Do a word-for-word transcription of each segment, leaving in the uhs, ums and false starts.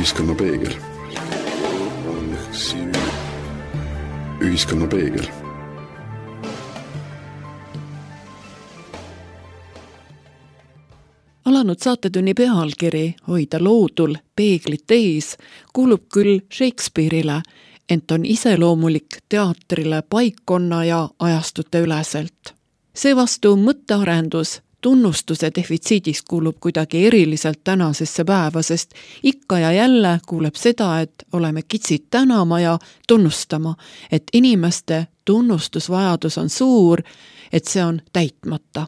Ühiskonna peegel. Ühiskonna peegel. Alanud saatetunni pealkiri Hoida loodul peeglit ees kuulub küll Shakespeare'ile, ent on iseloomulik teatrile paikkonna ja ajastute üleselt. Seevastu mõttearendus tunnustuse defitsiidis kuulub kuidagi eriliselt tänasesse päeva, sest ikka ja jälle kuuleb seda, et oleme kitsid tänama ja tunnustama, et inimeste tunnustusvajadus on suur, et see on täitmata.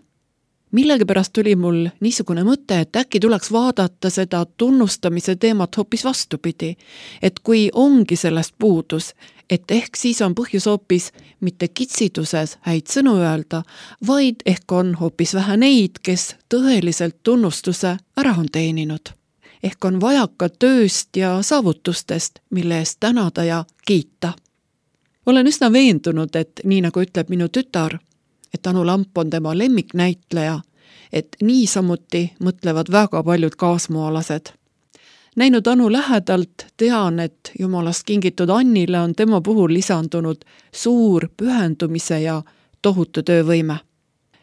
Millegipärast tuli mul niisugune mõte, et äkki tuleks vaadata seda tunnustamise teemat hoopis vastupidi, et kui ongi sellest puudus, et ehk siis on põhjus hoopis mitte kitsituses häid sõnu öelda, vaid ehk on hoopis vähe neid, kes tõeliselt tunnustuse ära on teeninud. Ehk on vajaka tööst ja saavutustest, mille eest tänada ja kiita. Olen üsna veendunud, et nii nagu ütleb minu tütar, et Anu Lamp on tema lemmiknäitleja, et niisamuti mõtlevad väga paljud kaasmaalased. Näinud Anu lähedalt, tean, et jumalast kingitud Annile on tema puhul lisandunud suur pühendumise ja tohutu töövõime.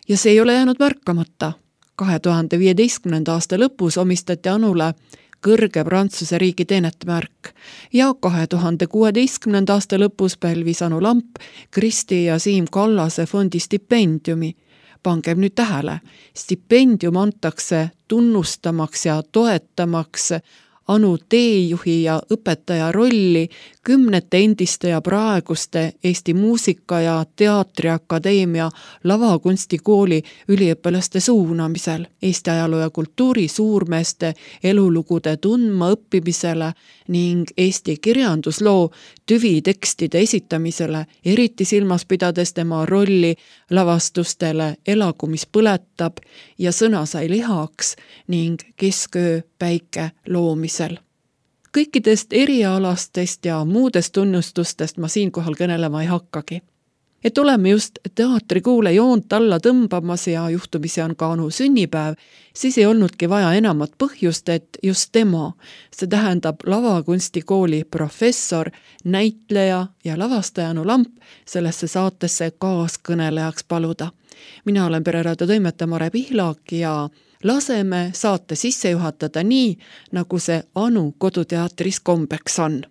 Ja see ei ole jäänud märkamata. kahe tuhande viieteistkümnenda aasta lõpus omistati Anule kõrge Prantsuse riigi teenetemärk ja kahe tuhande kuueteistkümnenda aasta lõpus pälvis Anu Lamp Kristi ja Siim Kallase fondi stipendiumi. Pangem nüüd tähele, stipendium antakse tunnustamaks ja toetamaks Anu teejuhi ja õpetaja rolli kümnete endiste ja praeguste Eesti Muusika- ja Teatriakadeemia lavakunstikooli üliõpilaste suunamisel, Eesti ajaloo ja kultuuri suurmeeste elulugude tundma õppimisele ning Eesti kirjandusloo tüvitekstide esitamisele, eriti silmas pidades tema rolli lavastustele Elagu, mis põletab ja Sõna sai lihaks ning Kesköö päike loomisel. Kõikidest erialastest ja muudest tunnustustest ma siinkohal kõnelema ei hakkagi. Et oleme just teatrikuule joont alla tõmbamas ja juhtumisi on ka Anu sünnipäev, siis ei olnudki vaja enamat põhjust, et just tema, see tähendab lavakunstikooli professor, näitleja ja lavastaja Anu Lamp sellesse saatesse kaaskõnelejaks paluda. Mina olen Pereraadio toimetaja Mare Pihlak ja laseme saate sisse juhatada nii, nagu see Anu koduteatris kombeks on.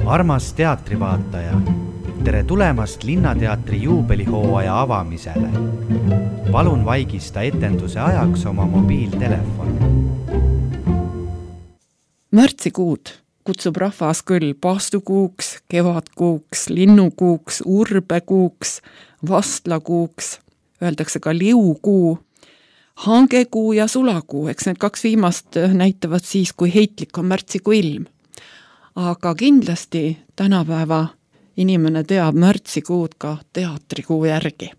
Armas teatrivaataja, tere tulemast Linnateatri juubelihooaja avamisele. Palun vaigista etenduse ajaks oma mobiiltelefon. Märtsikuud kutsub rahvas küll paastukuuks, kevadkuuks, linnukuuks, urbekuuks, vastlakuuks, öeldakse ka liukuu, hangekuu ja sulakuu, eks need kaks viimast näitavad siis, kui heitlik on märtsikuu ilm. Aga kindlasti tänapäeva inimene teab märtsikuud ka teatrikuu järgi.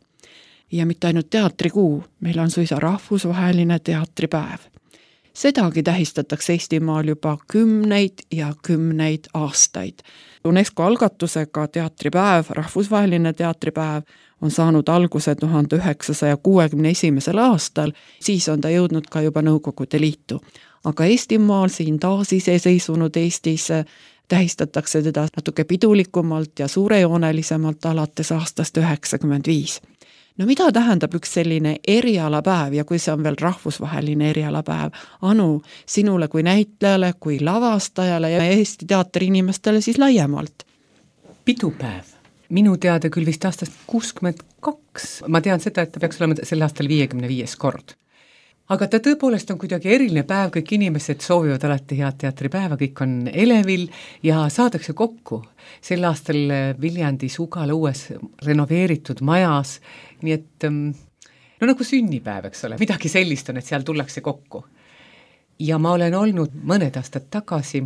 Ja mitte ainult teatrikuu, meil on suisa rahvusvaheline teatripäev. Sedagi tähistatakse Eestimaal juba kümneid ja kümneid aastaid. UNESCO algatusega teatripäev, rahvusvaheline teatripäev, on saanud alguse tuhande üheksasaja kuuekümne esimesel aastal, siis on ta jõudnud ka juba Nõukogude Liitu. Aga Eestimaal, siin taas iseseisvunud Eestis, tähistatakse teda natuke pidulikumalt ja suurejoonelisemalt alates aastast üheksakümmend viis. no mida tähendab üks selline erialapäev ja kui see on veel rahvusvaheline erialapäev? Anu, sinule kui näitlejale, kui lavastajale ja Eesti teatri inimestele siis laiemalt? Pidupäev. Minu teada küll vist aastast kuuskümmend kaks. Ma tean seda, et ta peaks olema sel aastal viiekümne viies kord. Aga ta tõepoolest on kuidagi eriline päev, kõik inimesed soovivad alati head teatripäeva, kõik on elevil ja saadakse kokku. Sel aastal Viljandis Ugala uues renoveeritud majas, nii et no nagu sünnipäev, eks ole, midagi sellist on, et seal tullakse kokku. Ja ma olen olnud mõned aastad tagasi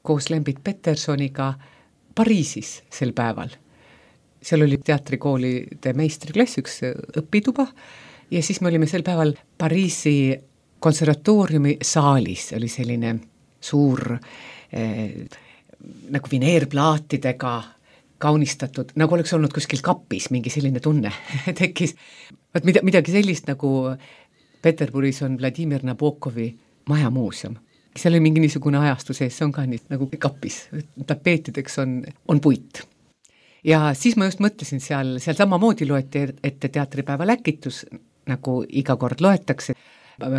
koos Lembit Petersoniga Pariisis sel päeval. Seal oli teatrikoolide meistriklass, üks õpituba, ja siis me olime sel päeval Pariisi konservatooriumi saalis, oli selline suur eh, nagu vineerplaatidega kaunistatud, nagu oleks olnud kuskil kapis, mingi selline tunne tekkis. Vaat mida, midagi sellist nagu Peterburis on Vladimir Nabokovi majamuuseum. Seal oli mingi niisugune ajastu sees, see on ka nii nagu kapis, tapeetideks on, on puit. Ja siis ma just mõtlesin seal, seal samamoodi loeti ette teatripäeva läkitus, nagu iga kord loetakse.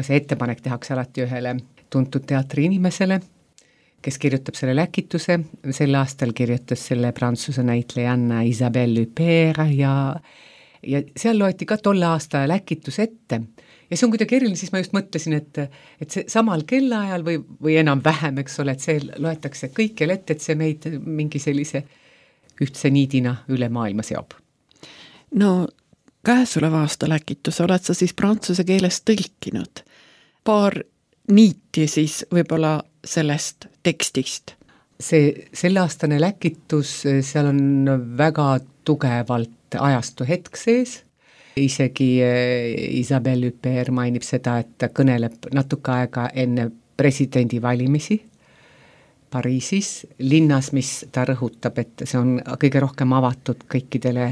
See ettepanek tehakse alati ühele tuntud teatri inimesele, kes kirjutab selle läkituse. Sel aastal kirjutas selle prantsuse näitlejanna Isabelle Huppert ja, ja seal loeti ka tolle aasta läkitus ette. Ja see on kuidagi eriline, siis ma just mõtlesin, et, et see samal kellaajal või, või enam vähem, eks ole, et see loetakse kõikjal ette, et see meid mingi sellise ühtse niidina üle maailma seob. No käesoleva aasta läkitus oled sa siis prantsuse keeles tõlkinud. Paar niiti siis võib-olla sellest tekstist. See selleaastane läkitus, seal on väga tugevalt ajastu hetk sees. Isegi Isabelle Huppert mainib seda, et ta kõneleb natuke aega enne presidendi valimisi Pariisis, linnas, mis ta rõhutab, et see on kõige rohkem avatud kõikidele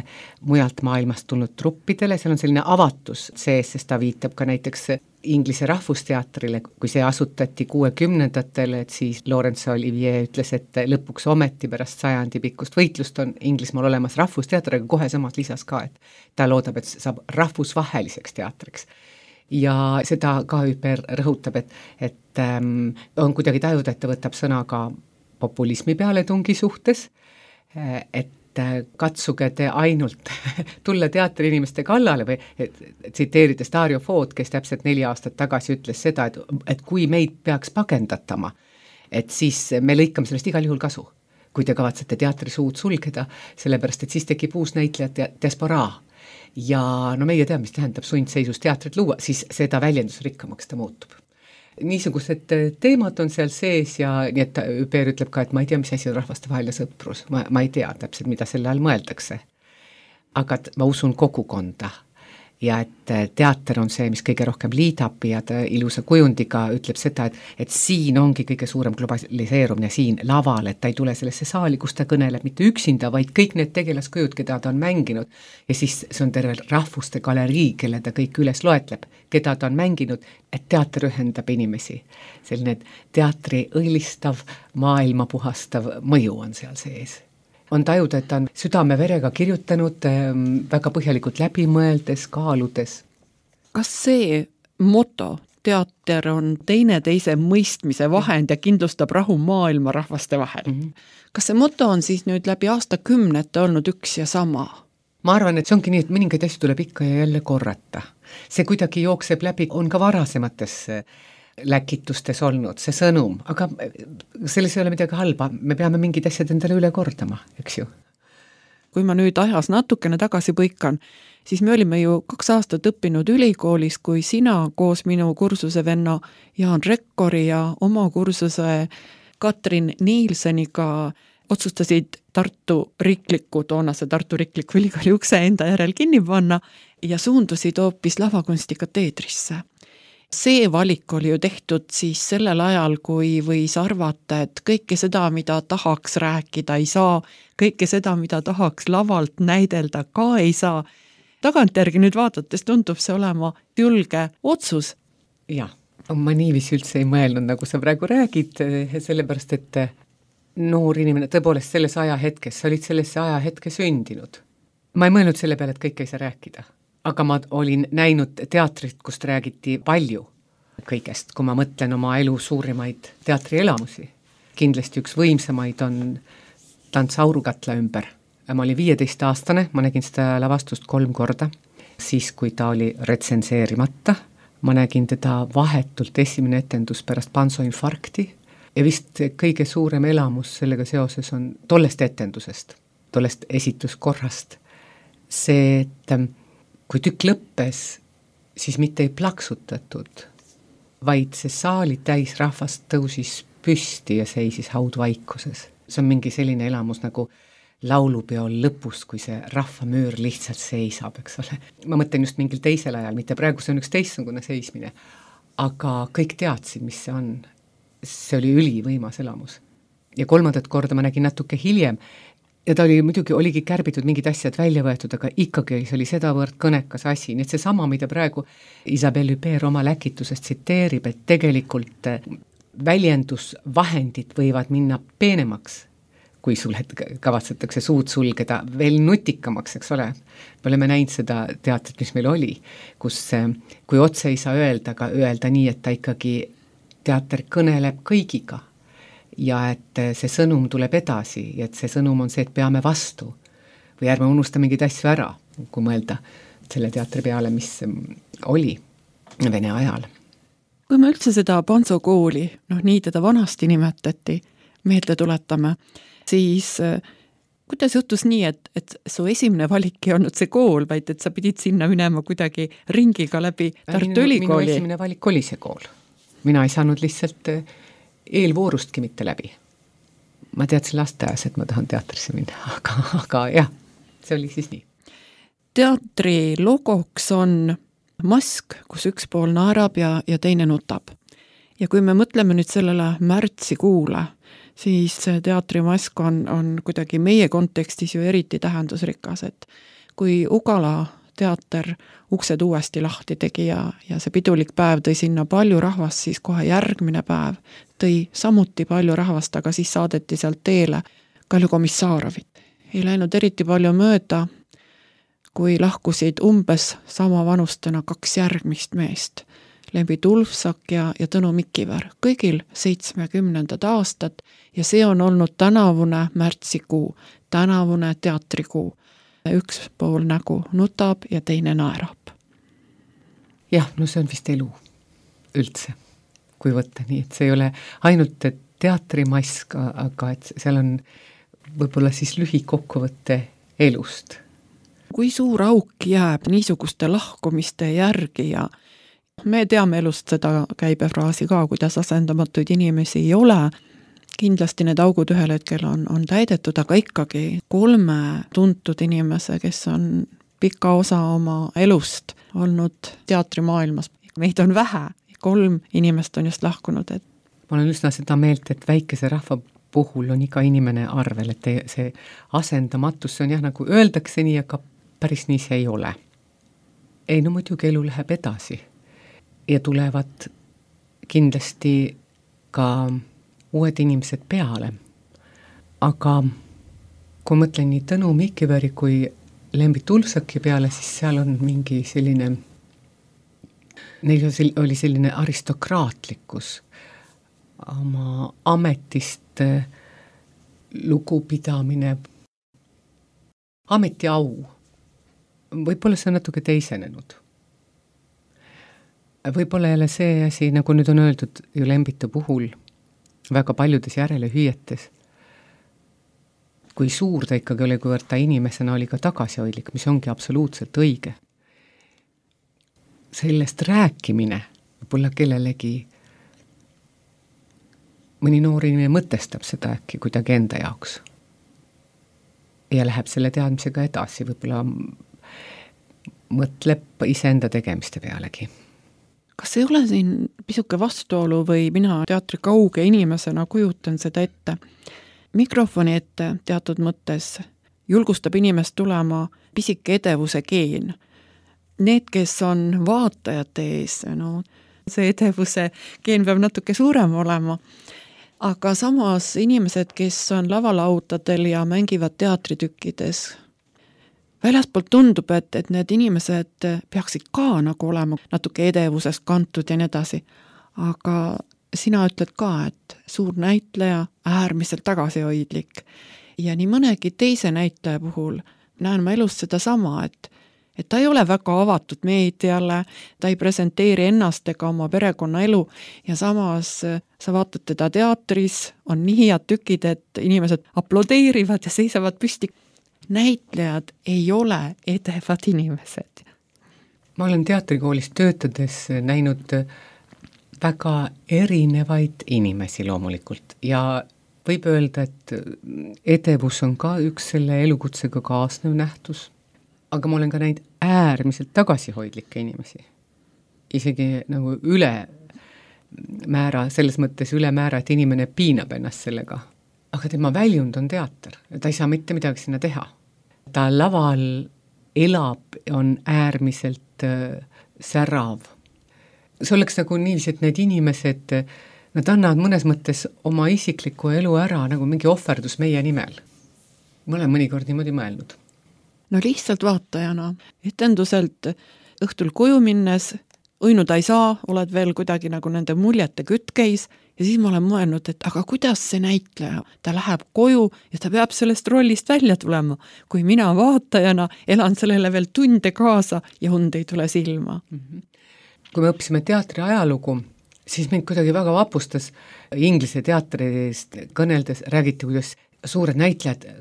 mujalt maailmast tulnud truppidele, seal on selline avatus sees, sest ta viitab ka näiteks Inglise rahvusteatrile, kui see asutati kuuekümnendatel, et siis Laurence Olivier ütles, et lõpuks ometi pärast sajandi pikkust võitlust on Inglismaal olemas rahvusteater, aga kohe samas lisas ka, et ta loodab, et saab rahvusvaheliseks teatriks. Ja seda ka Huppert rõhutab, et, et ähm, on kuidagi tajuda, et ta võtab sõna ka populismi pealetungi suhtes, et katsuge te ainult tulla teatri inimeste kallale või tsiteerides Dario Fod, kes täpselt neli aastat tagasi ütles seda, et, et kui meid peaks pagendatama, et siis me lõikame sellest igal juhul kasu, kui te kavatsete teatri suud sulgeda, sellepärast et siis tekib uus näitlejad ja diasporaa. Ja no meie teame, mis tähendab sundseisus teatrit luua, siis seda väljendusrikkamaks ta muutub. Niisugused teemad on seal sees ja nii et Huppert ütleb ka, et ma ei tea, mis asi on rahvastevaheline sõprus, ma, ma ei tea täpselt, mida selle all mõeldakse. Aga ma usun kogukonda ja et teater on see, mis kõige rohkem liidab ja ta ilusa kujundiga ütleb seda, et, et siin ongi kõige suurem globaliseerumine siin laval, et ta ei tule sellesse saali, kus ta kõneleb mitte üksinda, vaid kõik need tegelaskujud, keda ta on mänginud ja siis see on terve rahvuste galerii, kelle ta kõik üles loetleb, keda ta on mänginud, et teater ühendab inimesi. Selline teatri õilistav, maailma puhastav mõju on seal sees. On tajuda, et ta on südame verega kirjutanud, väga põhjalikult läbimõeldes, kaaludes. Kas see moto, teater on teineteise mõistmise vahend ja kindlustab rahu maailma rahvaste vahel? Mm-hmm. Kas see moto on siis nüüd läbi aastakümnete olnud üks ja sama? Ma arvan, et see ongi nii, et mõningaid asju tuleb ikka ja jälle korrata. See kuidagi jookseb läbi, on ka varasemates läkitustes olnud see sõnum, aga selles ei ole midagi halba, me peame mingid asjad endale üle kordama, eks ju. Kui ma nüüd ajas natukene tagasi põikan, siis me olime ju kaks aastat õppinud ülikoolis, kui sina koos minu kursusevenna Jaan Rekkori ja oma kursuse Katrin Nielseniga otsustasid Tartu riikliku, toonase Tartu riikliku ülikooli ukse enda järel kinni panna ja suundusid hoopis lavakunstikateedrisse. See valik oli ju tehtud siis sellel ajal, kui võis arvata, et kõike seda, mida tahaks rääkida, ei saa, kõike seda, mida tahaks lavalt näidelda, ka ei saa. Tagantjärgi nüüd vaadates tundub see olema julge otsus. Jah, ma niiviisi üldse ei mõelnud, nagu sa praegu räägid, sellepärast, et noor inimene tõepoolest selles ajahetkes, sa olid sellesse ajahetke sündinud. Ma ei mõelnud selle peale, et kõik ei saa rääkida. aga ma olin näinud teatrit, kust räägiti palju kõigest, kui ma mõtlen oma elu suurimaid teatrielamusi. Kindlasti üks võimsamaid on Tants Aurukatla ümber. Ma olin viieteist aastane, ma nägin seda lavastust kolm korda, siis kui ta oli retsenseerimata. Ma nägin teda vahetult esimene etendus pärast pansoinfarkti ja vist kõige suurem elamus sellega seoses on tollest etendusest, tollest esituskorrast. See, et kui tükk lõppes, siis mitte ei plaksutatud, vaid see saali täis rahvast tõusis püsti ja seisis haudvaikuses. See on mingi selline elamus nagu laulupeol lõpus, kui see rahvamüür lihtsalt seisab, eks ole. Ma mõtlen just mingil teisel ajal, mitte praegu see on üks teistsugune seismine, aga kõik teadsid, mis see on. See oli ülivõimas elamus. Ja kolmandat korda ma nägin natuke hiljem ja ta oli muidugi, oligi kärbitud mingid asjad välja võetud, aga ikkagi see oli sedavõrd kõnekas asi. Nii et see sama, mida praegu Isabelle Huppert oma läkitusest tsiteerib, et tegelikult väljendusvahendid võivad minna peenemaks, kui sul kavatsetakse suud sulgeda, veel nutikamaks, eks ole. Me oleme näinud seda teatrit, mis meil oli, kus kui otse ei saa öelda, aga öelda nii, et ta ikkagi teater kõneleb kõigiga ja et see sõnum tuleb edasi ja et see sõnum on see, et peame vastu või ärme unusta mingid asju ära, kui mõelda selle teatri peale, mis oli Vene ajal. Kui me üldse seda Panso kooli, noh nii teda vanasti nimetati, meelde tuletame, siis kuidas juhtus nii, et, et su esimene valik ei olnud see kool, vaid et sa pidid sinna minema kuidagi ringiga läbi Tartu Ülikooli? Minu esimene valik oli see kool. Mina ei saanud lihtsalt eelvoorustki mitte läbi. Ma teadsin lasteaias, et ma tahan teatrisse minna, aga, aga jah, see oli siis nii. Teatri logoks on mask, kus üks pool naerab ja, ja teine nutab. Ja kui me mõtleme nüüd sellele märtsikuule, siis teatrimask on, on kuidagi meie kontekstis ju eriti tähendusrikas, et kui Ugala teater uksed uuesti lahti tegi ja, ja see pidulik päev tõi sinna palju rahvast, siis kohe järgmine päev tõi samuti palju rahvast, aga siis saadeti sealt teele Kalju Komissaarovit. Ei läinud eriti palju mööda, kui lahkusid umbes sama vanustena kaks järgmist meest. Lembi Tulfsak ja, ja Tõnu Mikiver, kõigil seitsmekümnendad aastad ja see on olnud tänavune märtsikuu, tänavune teatrikuu. Üks pool nägu nutab ja teine naerab. Jah, no see on vist elu üldse, kui võtta nii, et see ei ole ainult teatrimask, aga et seal on võib-olla siis lühikokkuvõtte elust. Kui suur auk jääb niisuguste lahkumiste järgi ja me teame elust seda käibefraasi ka, kuidas asendamatuid inimesi ei ole. Kindlasti need augud ühel hetkel on, on täidetud, aga ikkagi kolme tuntud inimese, kes on pika osa oma elust olnud teatrimaailmas. Meid on vähe, kolm inimest on just lahkunud. Et... Ma olen üsna seda meelt, et väikese rahva puhul on iga inimene arvel, et see asendamatus, see on jah, nagu öeldakse nii, aga päris nii see ei ole. Ei, no muidugi elu läheb edasi. Ja tulevad kindlasti ka uued inimesed peale. Aga kui mõtlen nii Tõnu Mikiveri kui Lembi Tulfsaki peale, siis seal on mingi selline, neil oli selline aristokraatlikkus, oma ametist lugupidamine, ametiau. Võib-olla see on natuke teisenenud. Võib-olla jälle see asi, nagu nüüd on öeldud ju Lembita puhul, väga paljudes järelehüüetes, kui suur ta ikkagi oli, kuivõrd ta inimesena oli ka tagasihoidlik, mis ongi absoluutselt õige. Sellest rääkimine võib-olla kellelegi, mõni noor inimene mõtestab seda äkki kuidagi enda jaoks ja läheb selle teadmisega edasi, võib-olla mõtleb iseenda tegemiste pealegi. Kas ei ole siin pisuke vastuolu või mina teatri kauge inimesena kujutan seda ette? Mikrofoni ette teatud mõttes julgustab inimest tulema pisike edevuse geen. Need, kes on vaatajate ees, no, see edevuse geen peab natuke suurem olema. Aga samas inimesed, kes on lavalautadel ja mängivad teatritükkides, väljaspoolt tundub, et, et need inimesed peaksid ka nagu olema natuke edevusest kantud ja nii edasi, aga sina ütled ka, et suur näitleja, äärmiselt tagasihoidlik ja nii mõnegi teise näitleja puhul näen ma elus seda sama, et et ta ei ole väga avatud meediale, ta ei presenteeri ennast ega oma perekonnaelu ja samas sa vaatad teda teatris, on nii head tükid, et inimesed aplodeerivad ja seisavad püsti. Näitlejad ei ole edevad inimesed. Ma olen teatrikoolis töötades näinud väga erinevaid inimesi loomulikult ja võib öelda, et edevus on ka üks selle elukutsega kaasnev nähtus. Aga ma olen ka näinud äärmiselt tagasihoidlikke inimesi. Isegi nagu üle määra, selles mõttes üle määra, et inimene piinab ennast sellega. Aga tema väljund on teater. Ta ei saa mitte midagi sinna teha. Ta laval elab, on äärmiselt äh, särav. See oleks nagu niiviisi, et need inimesed, nad annavad mõnes mõttes oma isikliku elu ära nagu mingi ohverdus meie nimel. Ma olen mõnikord niimoodi mõelnud. No lihtsalt vaatajana, etenduselt õhtul koju minnes, õinuda ei saa, oled veel kuidagi nagu nende muljete kütkeis ja siis ma olen mõelnud, et aga kuidas see näitleja, ta läheb koju ja ta peab sellest rollist välja tulema, kui mina vaatajana elan sellele veel tunde kaasa ja und ei tule silma. Mm-hmm. Kui me õppisime teatri ajalugu, siis mind kuidagi väga vapustas inglise teatrist kõneldes, räägiti, kuidas suured näitlejad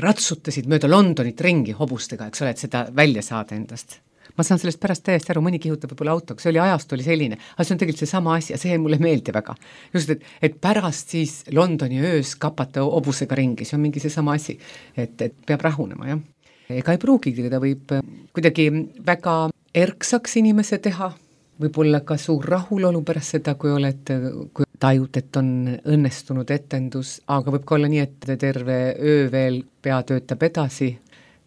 ratsutasid mööda Londonit ringi hobustega, eks ole, et seda välja saada endast. Ma saan sellest pärast täiesti aru, mõni kihutab võib-olla autoga, see oli ajast, oli selline, aga see on tegelikult see sama asi ja see mulle meeldi väga. Just, et, et pärast siis Londoni öös kapata hobusega ringi, see on mingi see sama asi, et, et peab rahunema, jah. Ega ei pruugigi, ta võib kuidagi väga erksaks inimese teha, võib-olla ka suur rahulolu pärast seda, kui oled, kui tajud, et on õnnestunud etendus, aga võib ka olla nii, et terve öö veel pea töötab edasi,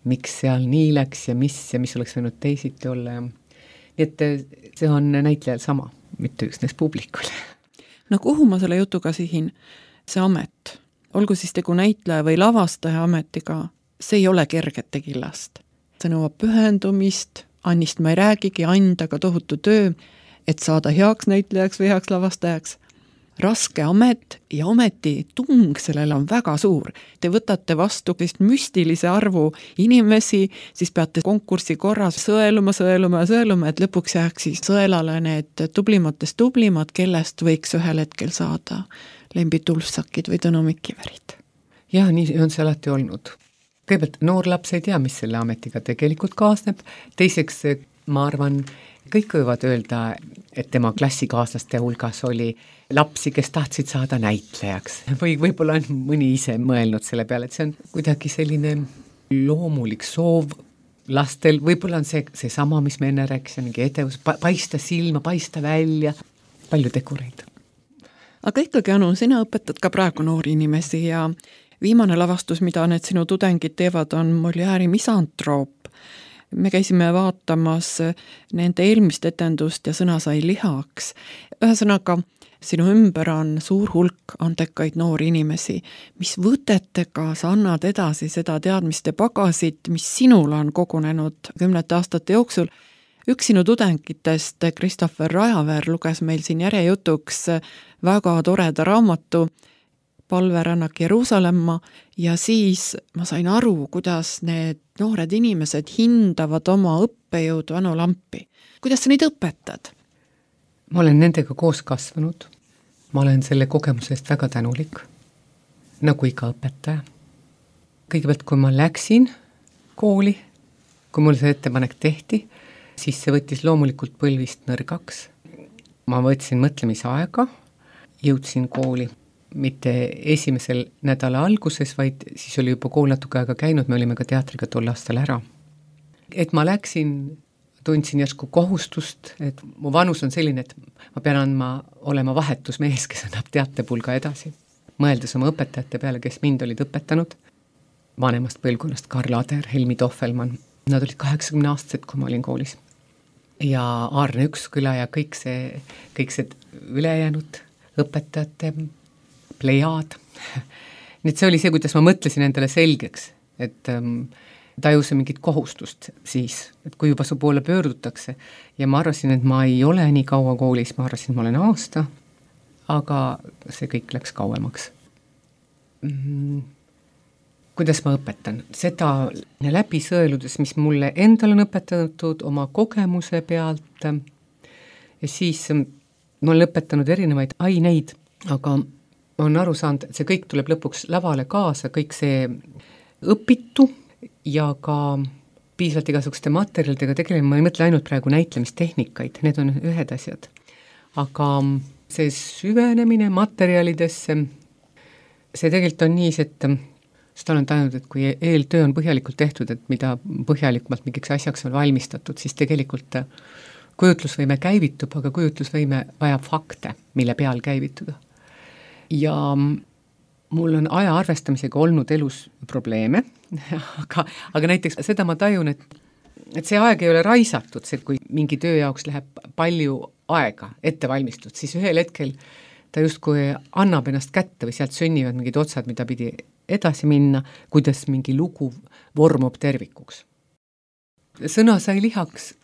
miks seal nii läks ja mis ja mis oleks võinud teisiti olla. Nii et see on näitlejal sama, mitte üksnes publikul. No kuhu ma selle jutuga sihin? See amet, olgu siis tegu näitleja või lavastaja ametiga, see ei ole kergete killast. See nõuab pühendumist, Annist ma ei räägigi, anda ka tohutu töö, et saada heaks näitlejaks või heaks lavastajaks. Raske amet ja ometi tung sellel on väga suur. Te võtate vastu vist müstilise arvu inimesi, siis peate konkursi korras sõeluma, sõeluma ja sõeluma, et lõpuks jääks siis sõelale need tublimatest tublimad, kellest võiks ühel hetkel saada Lembi Tulfsakid või Tõnu Mikiverid. Jah, nii on see alati olnud. Kõigepealt noor laps ei tea, mis selle ametiga tegelikult kaasneb. Teiseks, ma arvan, kõik võivad öelda, et tema klassikaaslaste hulgas oli lapsi, kes tahtsid saada näitlejaks. Või võib-olla on mõni ise mõelnud selle peale, et see on kuidagi selline loomulik soov lastel. Võib-olla on see, see sama, mis me enne rääkisime, mingi edevus, paista silma, paista välja, palju tegureid. Aga ikkagi, Anu, sina õpetad ka praegu noori inimesi ja viimane lavastus, mida need sinu tudengid teevad, on Molière'i Misantroop. Me käisime vaatamas nende eelmist etendust ja sõna sai lihaks. Ühesõnaga, sinu ümber on suur hulk andekaid noori inimesi. Mis võtetega sa annad edasi seda teadmiste pagasit, mis sinul on kogunenud kümnete aastate jooksul? Üks sinu tudengitest, Christopher Rajaveer, luges meil siin järjejutuks väga toreda raamatu Palverännak Jeruusalemma ja siis ma sain aru, kuidas need noored inimesed hindavad oma õppejõudu Anu Lampi. Kuidas sa neid õpetad? Ma olen nendega koos kasvanud. Ma olen selle kogemusest väga tänulik, nagu iga õpetaja. Kõigepealt, kui ma läksin kooli, kui mul see ettepanek tehti, siis see võttis loomulikult põlvist nõrgaks. Ma võtsin mõtlemisaega, jõudsin kooli mitte esimesel nädala alguses, vaid siis oli juba kool natuke aega käinud, me olime ka teatriga tol aastal ära. Et ma läksin, tundsin järsku kohustust, et mu vanus on selline, et ma pean andma olema vahetusmees, kes annab teatepulga edasi. Mõeldes oma õpetajate peale, kes mind olid õpetanud, vanemast põlvkonnast Karl Ader, Helmi Tohvelmann, nad olid kaheksakümne aastased, kui ma olin koolis. Ja Aarne Üksküla ja kõik see, kõik see ülejäänud õpetajate plejaad. Nüüd see oli see, kuidas ma mõtlesin endale selgeks, et, tajuse mingit kohustust siis, et kui juba su poole pöördutakse ja ma arvasin, et ma ei ole nii kaua koolis, ma arvasin, et ma olen aasta, aga see kõik läks kauemaks. Mm, kuidas ma õpetan? Seda läbi sõeludes, mis mulle endal on õpetatud oma kogemuse pealt ja siis ma olen õpetanud erinevaid aineid, aga ma olen aru saanud, et see kõik tuleb lõpuks lavale kaasa, kõik see õpitu ja ka piisavalt igasuguste materjalidega tegelema, ma ei mõtle ainult praegu näitlemistehnikaid, need on ühed asjad. Aga see süvenemine materjalidesse, see tegelikult on nii, et seda olen tajunud, et kui eeltöö on põhjalikult tehtud, et mida põhjalikumalt mingiks asjaks on valmistatud, siis tegelikult kujutlusvõime käivitub, aga kujutlusvõime vajab fakte, mille peal käivituda. Ja mul on aja arvestamisega olnud elus probleeme, aga, aga näiteks seda ma tajun, et, et see aeg ei ole raisatud, see, kui mingi töö jaoks läheb palju aega ette valmistud, siis ühel hetkel ta justkui annab ennast kätte või sealt sünnivad mingid otsad, mida pidi edasi minna, kuidas mingi lugu vormub tervikuks. Sõna sai lihaks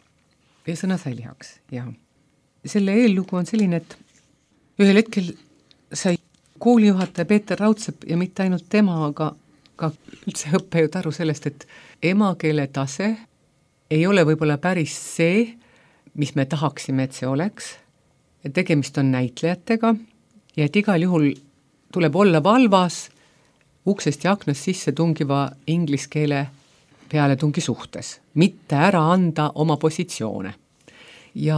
ja sõna sai lihaks, jah. Selle eellugu on selline, et ühel hetkel sai koolijuhataja Peeter Raudsepp ja mitte ainult tema, aga ka üldse õppejõud aru sellest, et emakeele tase ei ole võib-olla päris see, mis me tahaksime, et see oleks. Tegemist on näitlejatega ja et igal juhul tuleb olla valvas uksest ja aknast sisse tungiva ingliskeele peale tungi suhtes, mitte ära anda oma positsioone. Ja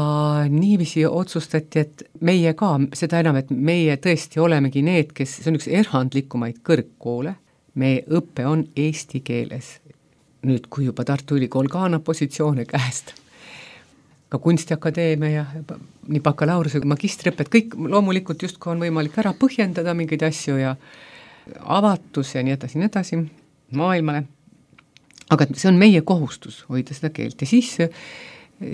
niiviisi otsustati, et meie ka, seda enam, et meie tõesti olemegi need, kes, see on üks erandlikumaid kõrgkoole, meie õppe on eesti keeles. Nüüd, kui juba Tartu Ülikool ka annab positsioone käest, ka Kunstiakadeemia ja nii bakalaureuse kui magistriõpet, kõik loomulikult justkui on võimalik ära põhjendada mingeid asju ja avatus ja nii edasi, nii edasi maailmale. Aga see on meie kohustus hoida seda keelt ja siis,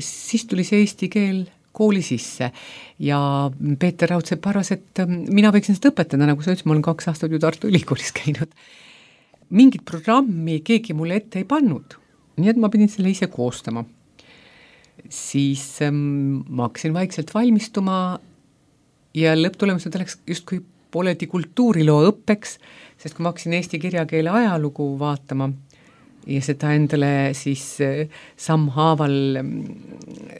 siis tuli see eesti keel kooli sisse ja Peeter Raudsepp arvas, et mina võiksin seda õpetada, nagu sa ütlesid, ma olen kaks aastat ju Tartu Ülikoolis käinud. Mingit programmi keegi mulle ette ei pannud, nii et ma pidin selle ise koostama. Siis ähm, ma hakkasin vaikselt valmistuma ja lõpptulemused oleks justkui pooledi kultuuriloo õppeks, sest kui ma hakkasin eesti kirjakeele ajalugu vaatama ja seda endale siis sammhaaval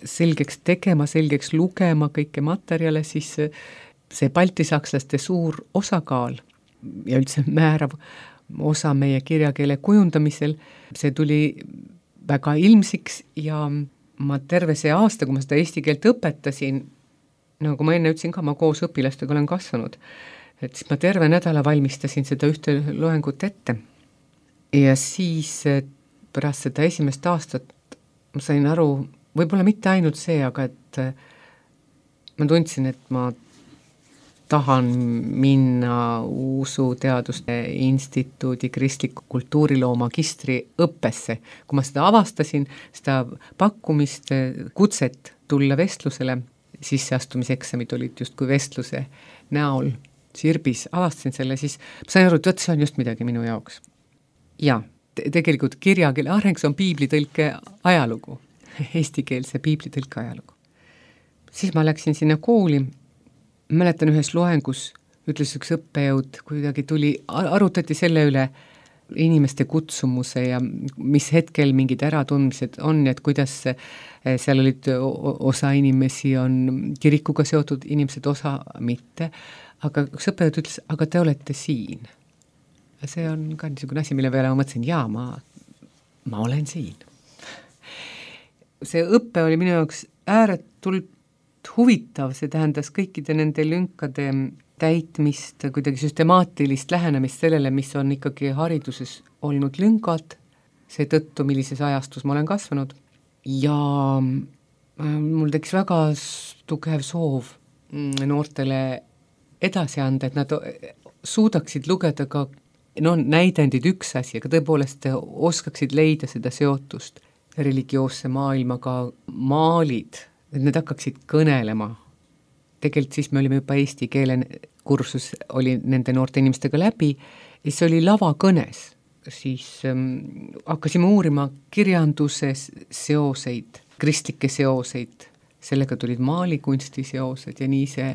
selgeks tegema, selgeks lugema kõike materjale, siis see baltisakslaste suur osakaal ja üldse määrav osa meie kirjakeele kujundamisel, see tuli väga ilmsiks ja ma terve see aasta, kui ma seda eesti keelt õpetasin, nagu ma enne ütlesin ka, ma koos õpilastega olen kasvanud, et siis ma terve nädala valmistasin seda ühte loengut ette. Ja siis pärast seda esimest aastat ma sain aru, võib-olla mitte ainult see, aga et ma tundsin, et ma tahan minna Usuteaduste Instituudi kristliku kultuuriloo magistri õppesse. Kui ma seda avastasin, seda pakkumist, kutset tulla vestlusele, sisseastumiseksamid olid justkui vestluse näol Sirbis, avastasin selle, siis ma sain aru, et see on just midagi minu jaoks. Ja, te- tegelikult kirjakeele areng, see on piiblitõlke ajalugu, eestikeelse piiblitõlke ajalugu. Siis ma läksin sinna kooli, mäletan ühes loengus, ütles üks õppejõud, kuidagi tuli, arutati selle üle inimeste kutsumuse ja mis hetkel mingid äratundmised on, et kuidas seal olid osa inimesi on kirikuga seotud, inimesed osa mitte, aga üks õppejõud ütles, aga te olete siin. See on ka niisugune asi, mille peale ma mõtlesin, jaa, ma, ma olen siin. See õppe oli minu jaoks ääretult huvitav, see tähendas kõikide nende lünkade täitmist, kuidagi süstemaatilist lähenemist sellele, mis on ikkagi hariduses olnud lüngad, see tõttu, millises ajastus ma olen kasvanud. Ja mul tekkis väga tugev soov noortele edasi anda, et nad suudaksid lugeda ka no, näidendid üks asi, aga tõepoolest oskaksid leida seda seotust religioosse maailmaga, maalid, et need hakkaksid kõnelema. Tegelikult siis me olime juba eesti keele kursus, oli nende noorte inimestega läbi ja see oli lavakõnes. siis ähm, hakkasime uurima kirjanduse seoseid, kristlikke seoseid, sellega tulid maalikunsti seosed ja nii see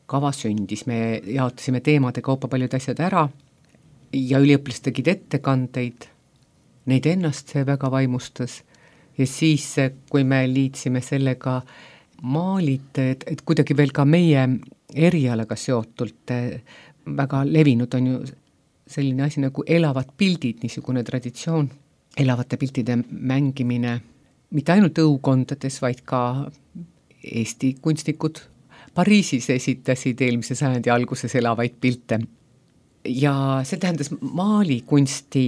kava sündis. Me jaotasime teemade kaupa paljud asjad ära ja üliõpilased tegid ettekandeid, neid ennast see väga vaimustas ja siis, kui me liitsime sellega maalid, et, et kuidagi veel ka meie erialaga seotult väga levinud on ju selline asi nagu elavad pildid, niisugune traditsioon, elavate piltide mängimine, mitte ainult õukondades, vaid ka Eesti kunstnikud Pariisis esitasid eelmise sajandi alguses elavaid pilte. Ja see tähendas maalikunsti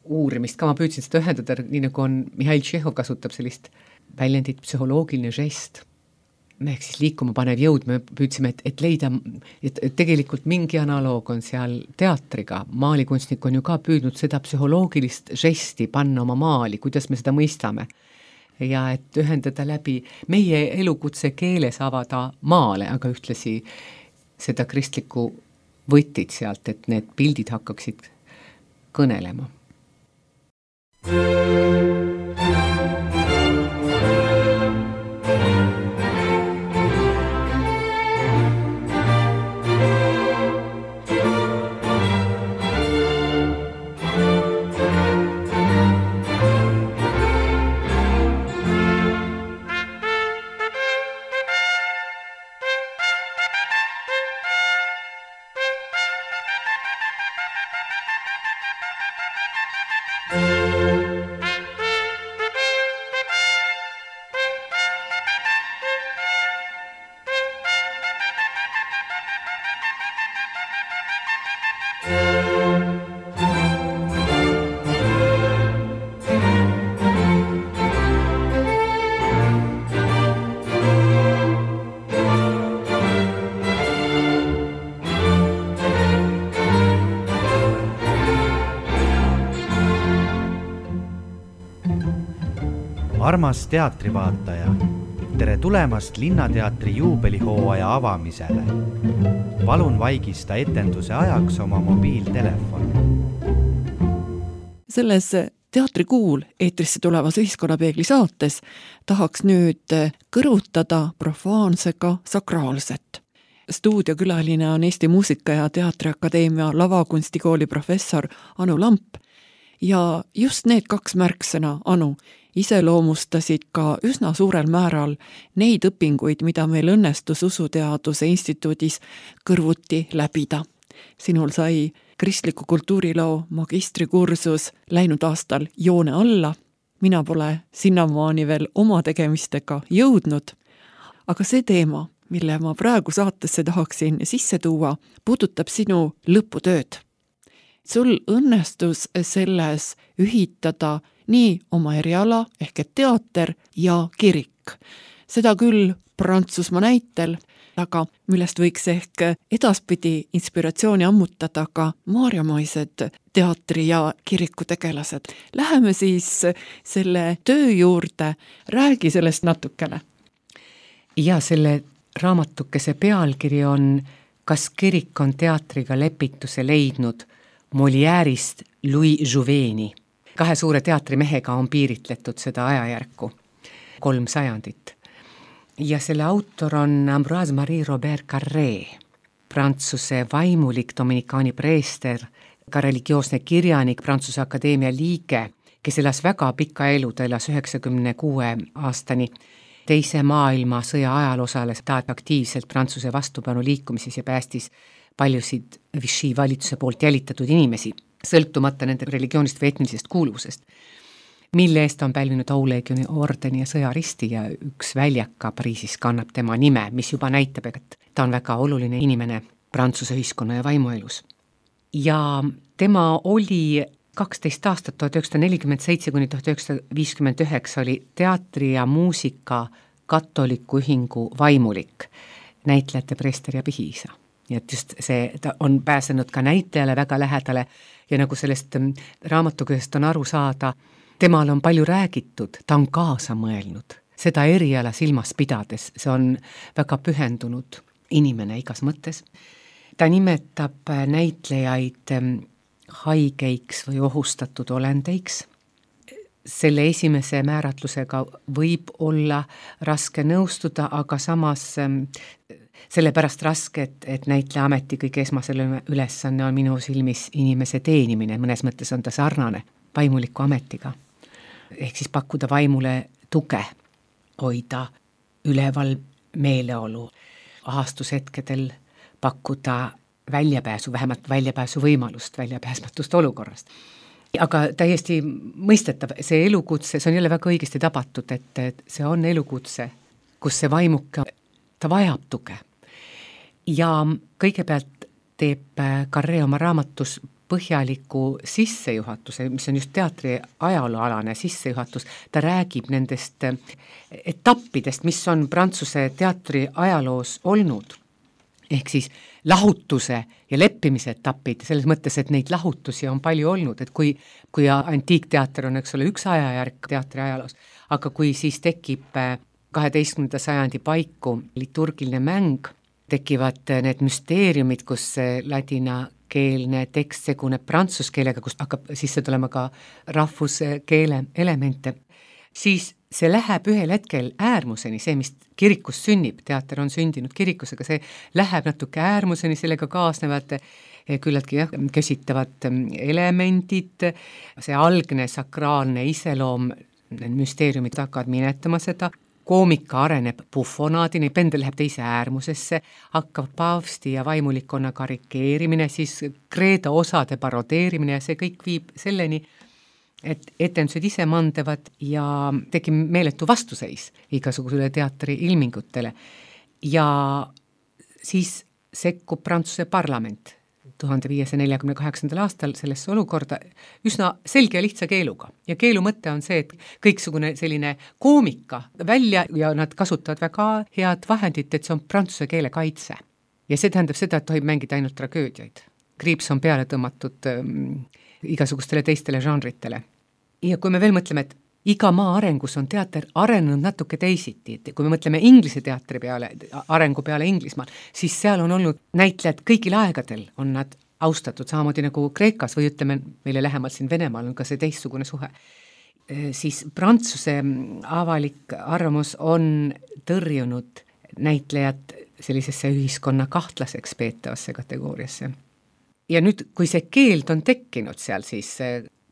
uurimist, ka ma püüdsin seda ühendada, nii nagu on Mihhail Tšehhov kasutab sellist väljendit psühholoogiline žest. Me ehk siis liikuma panev jõud, me püüdsime, et, et leida, et, et tegelikult mingi analoog on seal teatriga. Maalikunstnik on ju ka püüdnud seda psühholoogilist žesti panna oma maali, kuidas me seda mõistame. Ja et ühendada läbi meie elukutse keeles avada maale, aga ühtlasi seda kristlikku võtid sealt, et need pildid hakkaksid kõnelema. Armas teatrivaataja, tere tulemast Linnateatri juubelihooaja avamisele. Palun vaigista etenduse ajaks oma mobiiltelefon. Selles teatrikuul eetrisse tulevas Ühiskonnapeegli saates tahaks nüüd kõrutada profaansega sakraalset. Stuudiokülaline on Eesti Muusika- ja Teatriakadeemia lavakunstikooli professor Anu Lamp ja just need kaks märksõna, Anu, iseloomustasid ka üsna suurel määral neid õpinguid, mida meil õnnestus Usuteaduse Instituudis kõrvuti läbida. Sinul sai kristliku kultuuriloo magistrikursus läinud aastal joone alla. Mina pole sinnamaani veel oma tegemistega jõudnud, aga see teema, mille ma praegu saatesse tahaksin sisse tuua, puudutab sinu lõputööd. Sul õnnestus selles ühitada nii oma eriala ehk et teater ja kirik. Seda küll Prantsusmaa näitel, aga millest võiks ehk edaspidi inspiratsiooni ammutada ka maarjamaised teatri ja kiriku tegelased. Läheme siis selle töö juurde, räägi sellest natukene. Ja selle raamatukese pealkiri on Kas kirik on teatriga lepituse leidnud Molière'ist Louis Jouveni. Kahe suure teatrimehega on piiritletud seda ajajärku, kolm sajandit. Ja selle autor on Ambroise Marie Robert Carré, Prantsuse vaimulik dominikaani preester, ka religioosne kirjanik, Prantsuse Akadeemia liige, kes elas väga pika elu, ta elas üheksakümne kuue aastani. Teise maailmasõja ajal osales ta aktiivselt Prantsuse vastupanu liikumises ja päästis paljusid Vichy valitsuse poolt jälitatud inimesi, sõltumata nende religioonist või etnilisest kuuluvusest, mille eest on pälvinud auleegioni ordeni ja sõjaristi ja üks väljaka Pariisis kannab tema nime, mis juba näitab, et ta on väga oluline inimene Prantsuse ühiskonna ja vaimuelus. Ja tema oli kaksteist aastat, tuhat üheksasada nelikümmend seitse kuni tuhat üheksasada viiskümmend üheksa oli teatri ja muusika katoliku ühingu vaimulik, näitlejate preester ja pihiisa. Nii et just see, ta on pääsenud ka näitlejale väga lähedale ja nagu sellest raamatukesest on aru saada, temal on palju räägitud, ta on kaasa mõelnud, seda eriala silmas pidades, see on väga pühendunud inimene igas mõttes. Ta nimetab näitlejaid haigeiks või ohustatud olendeiks. Selle esimese määratlusega võib olla raske nõustuda, aga samas sellepärast raske, et, et näitleja ameti kõige esmasele ülesanne on minu silmis inimese teenimine, mõnes mõttes on ta sarnane vaimuliku ametiga. Ehk siis pakkuda vaimule tuge, hoida üleval meeleolu, ahastushetkedel pakkuda väljapääsu, vähemalt väljapääsu võimalust väljapääsmatust olukorrast. Aga täiesti mõistetav, see elukutse, see on jälle väga õigesti tabatud, et see on elukutse, kus see vaimuke, ta vajab tuge. Ja kõigepealt teeb Carré oma raamatus põhjaliku sissejuhatuse, mis on just teatri ajalooalane sissejuhatus, ta räägib nendest etappidest, mis on Prantsuse teatri ajaloos olnud. Ehk siis lahutuse ja leppimise etapid, selles mõttes, et neid lahutusi on palju olnud, et kui, kui antiikteater on, eks ole, üks ajajärk teatri ajaloos, aga kui siis tekib kaheteistkümnenda sajandi paiku liturgiline mäng, tekivad need müsteeriumid, kus ladinakeelne tekst seguneb prantsuskeelega, kus hakkab sisse tulema ka rahvuskeele elemente, siis see läheb ühel hetkel äärmuseni, see, mis kirikus sünnib, teater on sündinud kirikusega, see läheb natuke äärmuseni, sellega kaasnevad küllaltki jah, kösitavad elemendid, see algne sakraalne iseloom, müsteeriumid hakkavad minetama seda, koomika areneb bufonaadini, pendel läheb teise äärmusesse, hakkab paavsti ja vaimulikkonna karikeerimine, siis kreeda osade parodeerimine ja see kõik viib selleni, et etendused ise mandevad ja tekib meeletu vastuseis igasugusele teatri ilmingutele. Ja siis sekkub Prantsuse parlament tuhande viiesaja neljakümne kaheksandal aastal sellesse olukorda üsna selge ja lihtsa keeluga. Ja keelu mõte on see, et kõiksugune selline koomika välja ja nad kasutavad väga head vahendit, et see on prantsuse keele kaitse. Ja see tähendab seda, et tohib mängida ainult tragöödiaid. Kriips on peale tõmmatud ähm, igasugustele teistele žanritele. Ja kui me veel mõtleme, et iga maa arengus on teater arenenud natuke teisiti, et kui me mõtleme Inglise teatri peale, arengu peale Inglismaal, siis seal on olnud näitlejad kõigil aegadel, on nad austatud, samamoodi nagu Kreekas või ütleme meile lähemalt siin Venemaal on ka see teistsugune suhe. Siis Prantsuse avalik arvamus on tõrjunud näitlejad sellisesse ühiskonna kahtlaseks peetavasse kategooriasse. Ja nüüd, kui see keeld on tekkinud seal, siis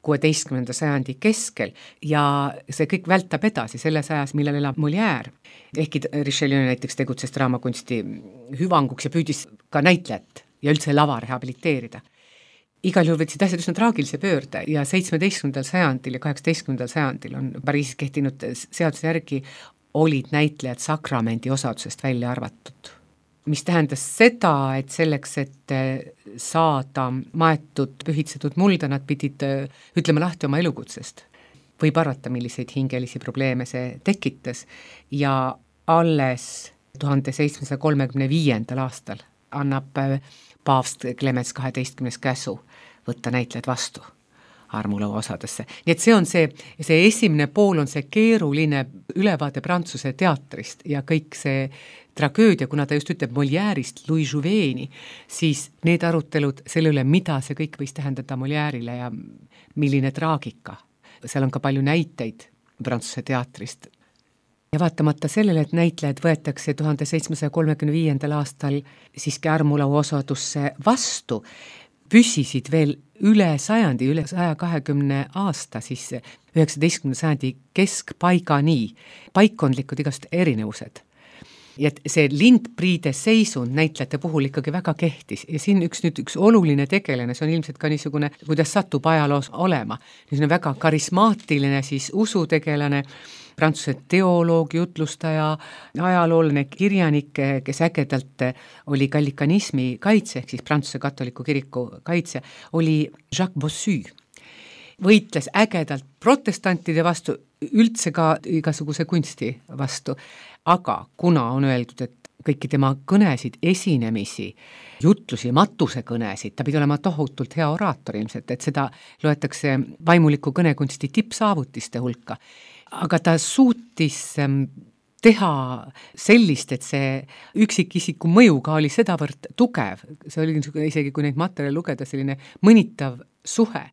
kuueteistkümnenda sajandi keskel ja see kõik vältab edasi selles ajas, millal elab Molière. Ehkki Richelieu näiteks tegutses draamakunsti hüvanguks ja püüdis ka näitlejat ja üldse lava rehabiliteerida. Igal juhul võtsid asjad üsna traagilise pöörde ja seitsmeteistkümnendal sajandil ja kaheksateistkümnendal sajandil on Pariisis kehtinud seaduse järgi olid näitlejad sakramendi osadusest välja arvatud. Mis tähendas seda, et selleks, et saada maetud, pühitsetud mulda, nad pidid ütlema lahti oma elukutsest. Võib arvata, milliseid hingelisi probleeme see tekitas ja alles tuhande seitsmesaja kolmekümne viiendal aastal annab paavst Clemens kaheteistkümnes käsu võtta näitlejad vastu armulõua osadesse. Nii et see on see, see esimene pool on see keeruline ülevaade Prantsuse teatrist ja kõik see tragöödia, kuna ta just ütleb Molière'ist Louis Jouvet'ini, siis need arutelud selle üle, mida see kõik võis tähendada Molière'ile ja milline traagika. Seal on ka palju näiteid Prantsuse teatrist. Ja vaatamata sellele, et näitlejad võetakse tuhande seitsmesaja kolmekümne viiendal aastal siiski armulõua osadusse vastu, püsisid veel üle sajandi, üle saja kahekümne aasta, siis üheksateistkümnenda sajandi keskpaigani paikkondlikud igast erinevused. Ja see lindpriide seisund näitlejate puhul ikkagi väga kehtis ja siin üks, nüüd üks oluline tegelane, see on ilmselt ka niisugune, kuidas satub ajaloos olema, niisugune väga karismaatiline siis usutegelane, Prantsuse teoloog, jutlustaja, ajaloolane kirjanik, kes ägedalt oli gallikanismi kaitse, ehk siis Prantsuse katoliku kiriku kaitse, oli Jacques Bossu. Võitles ägedalt protestantide vastu, üldse ka igasuguse kunsti vastu, aga kuna on öeldud, et kõiki tema kõnesid, esinemisi, jutlusi, matusekõnesid, ta pidi olema tohutult hea oraator ilmselt, et seda loetakse vaimuliku kõnekunsti tippsaavutiste hulka. Aga ta suutis teha sellist, et see üksikisiku mõjuga oli sedavõrd tugev, see oli isegi, kui neid materjale lugeda, selline mõnitav suhe,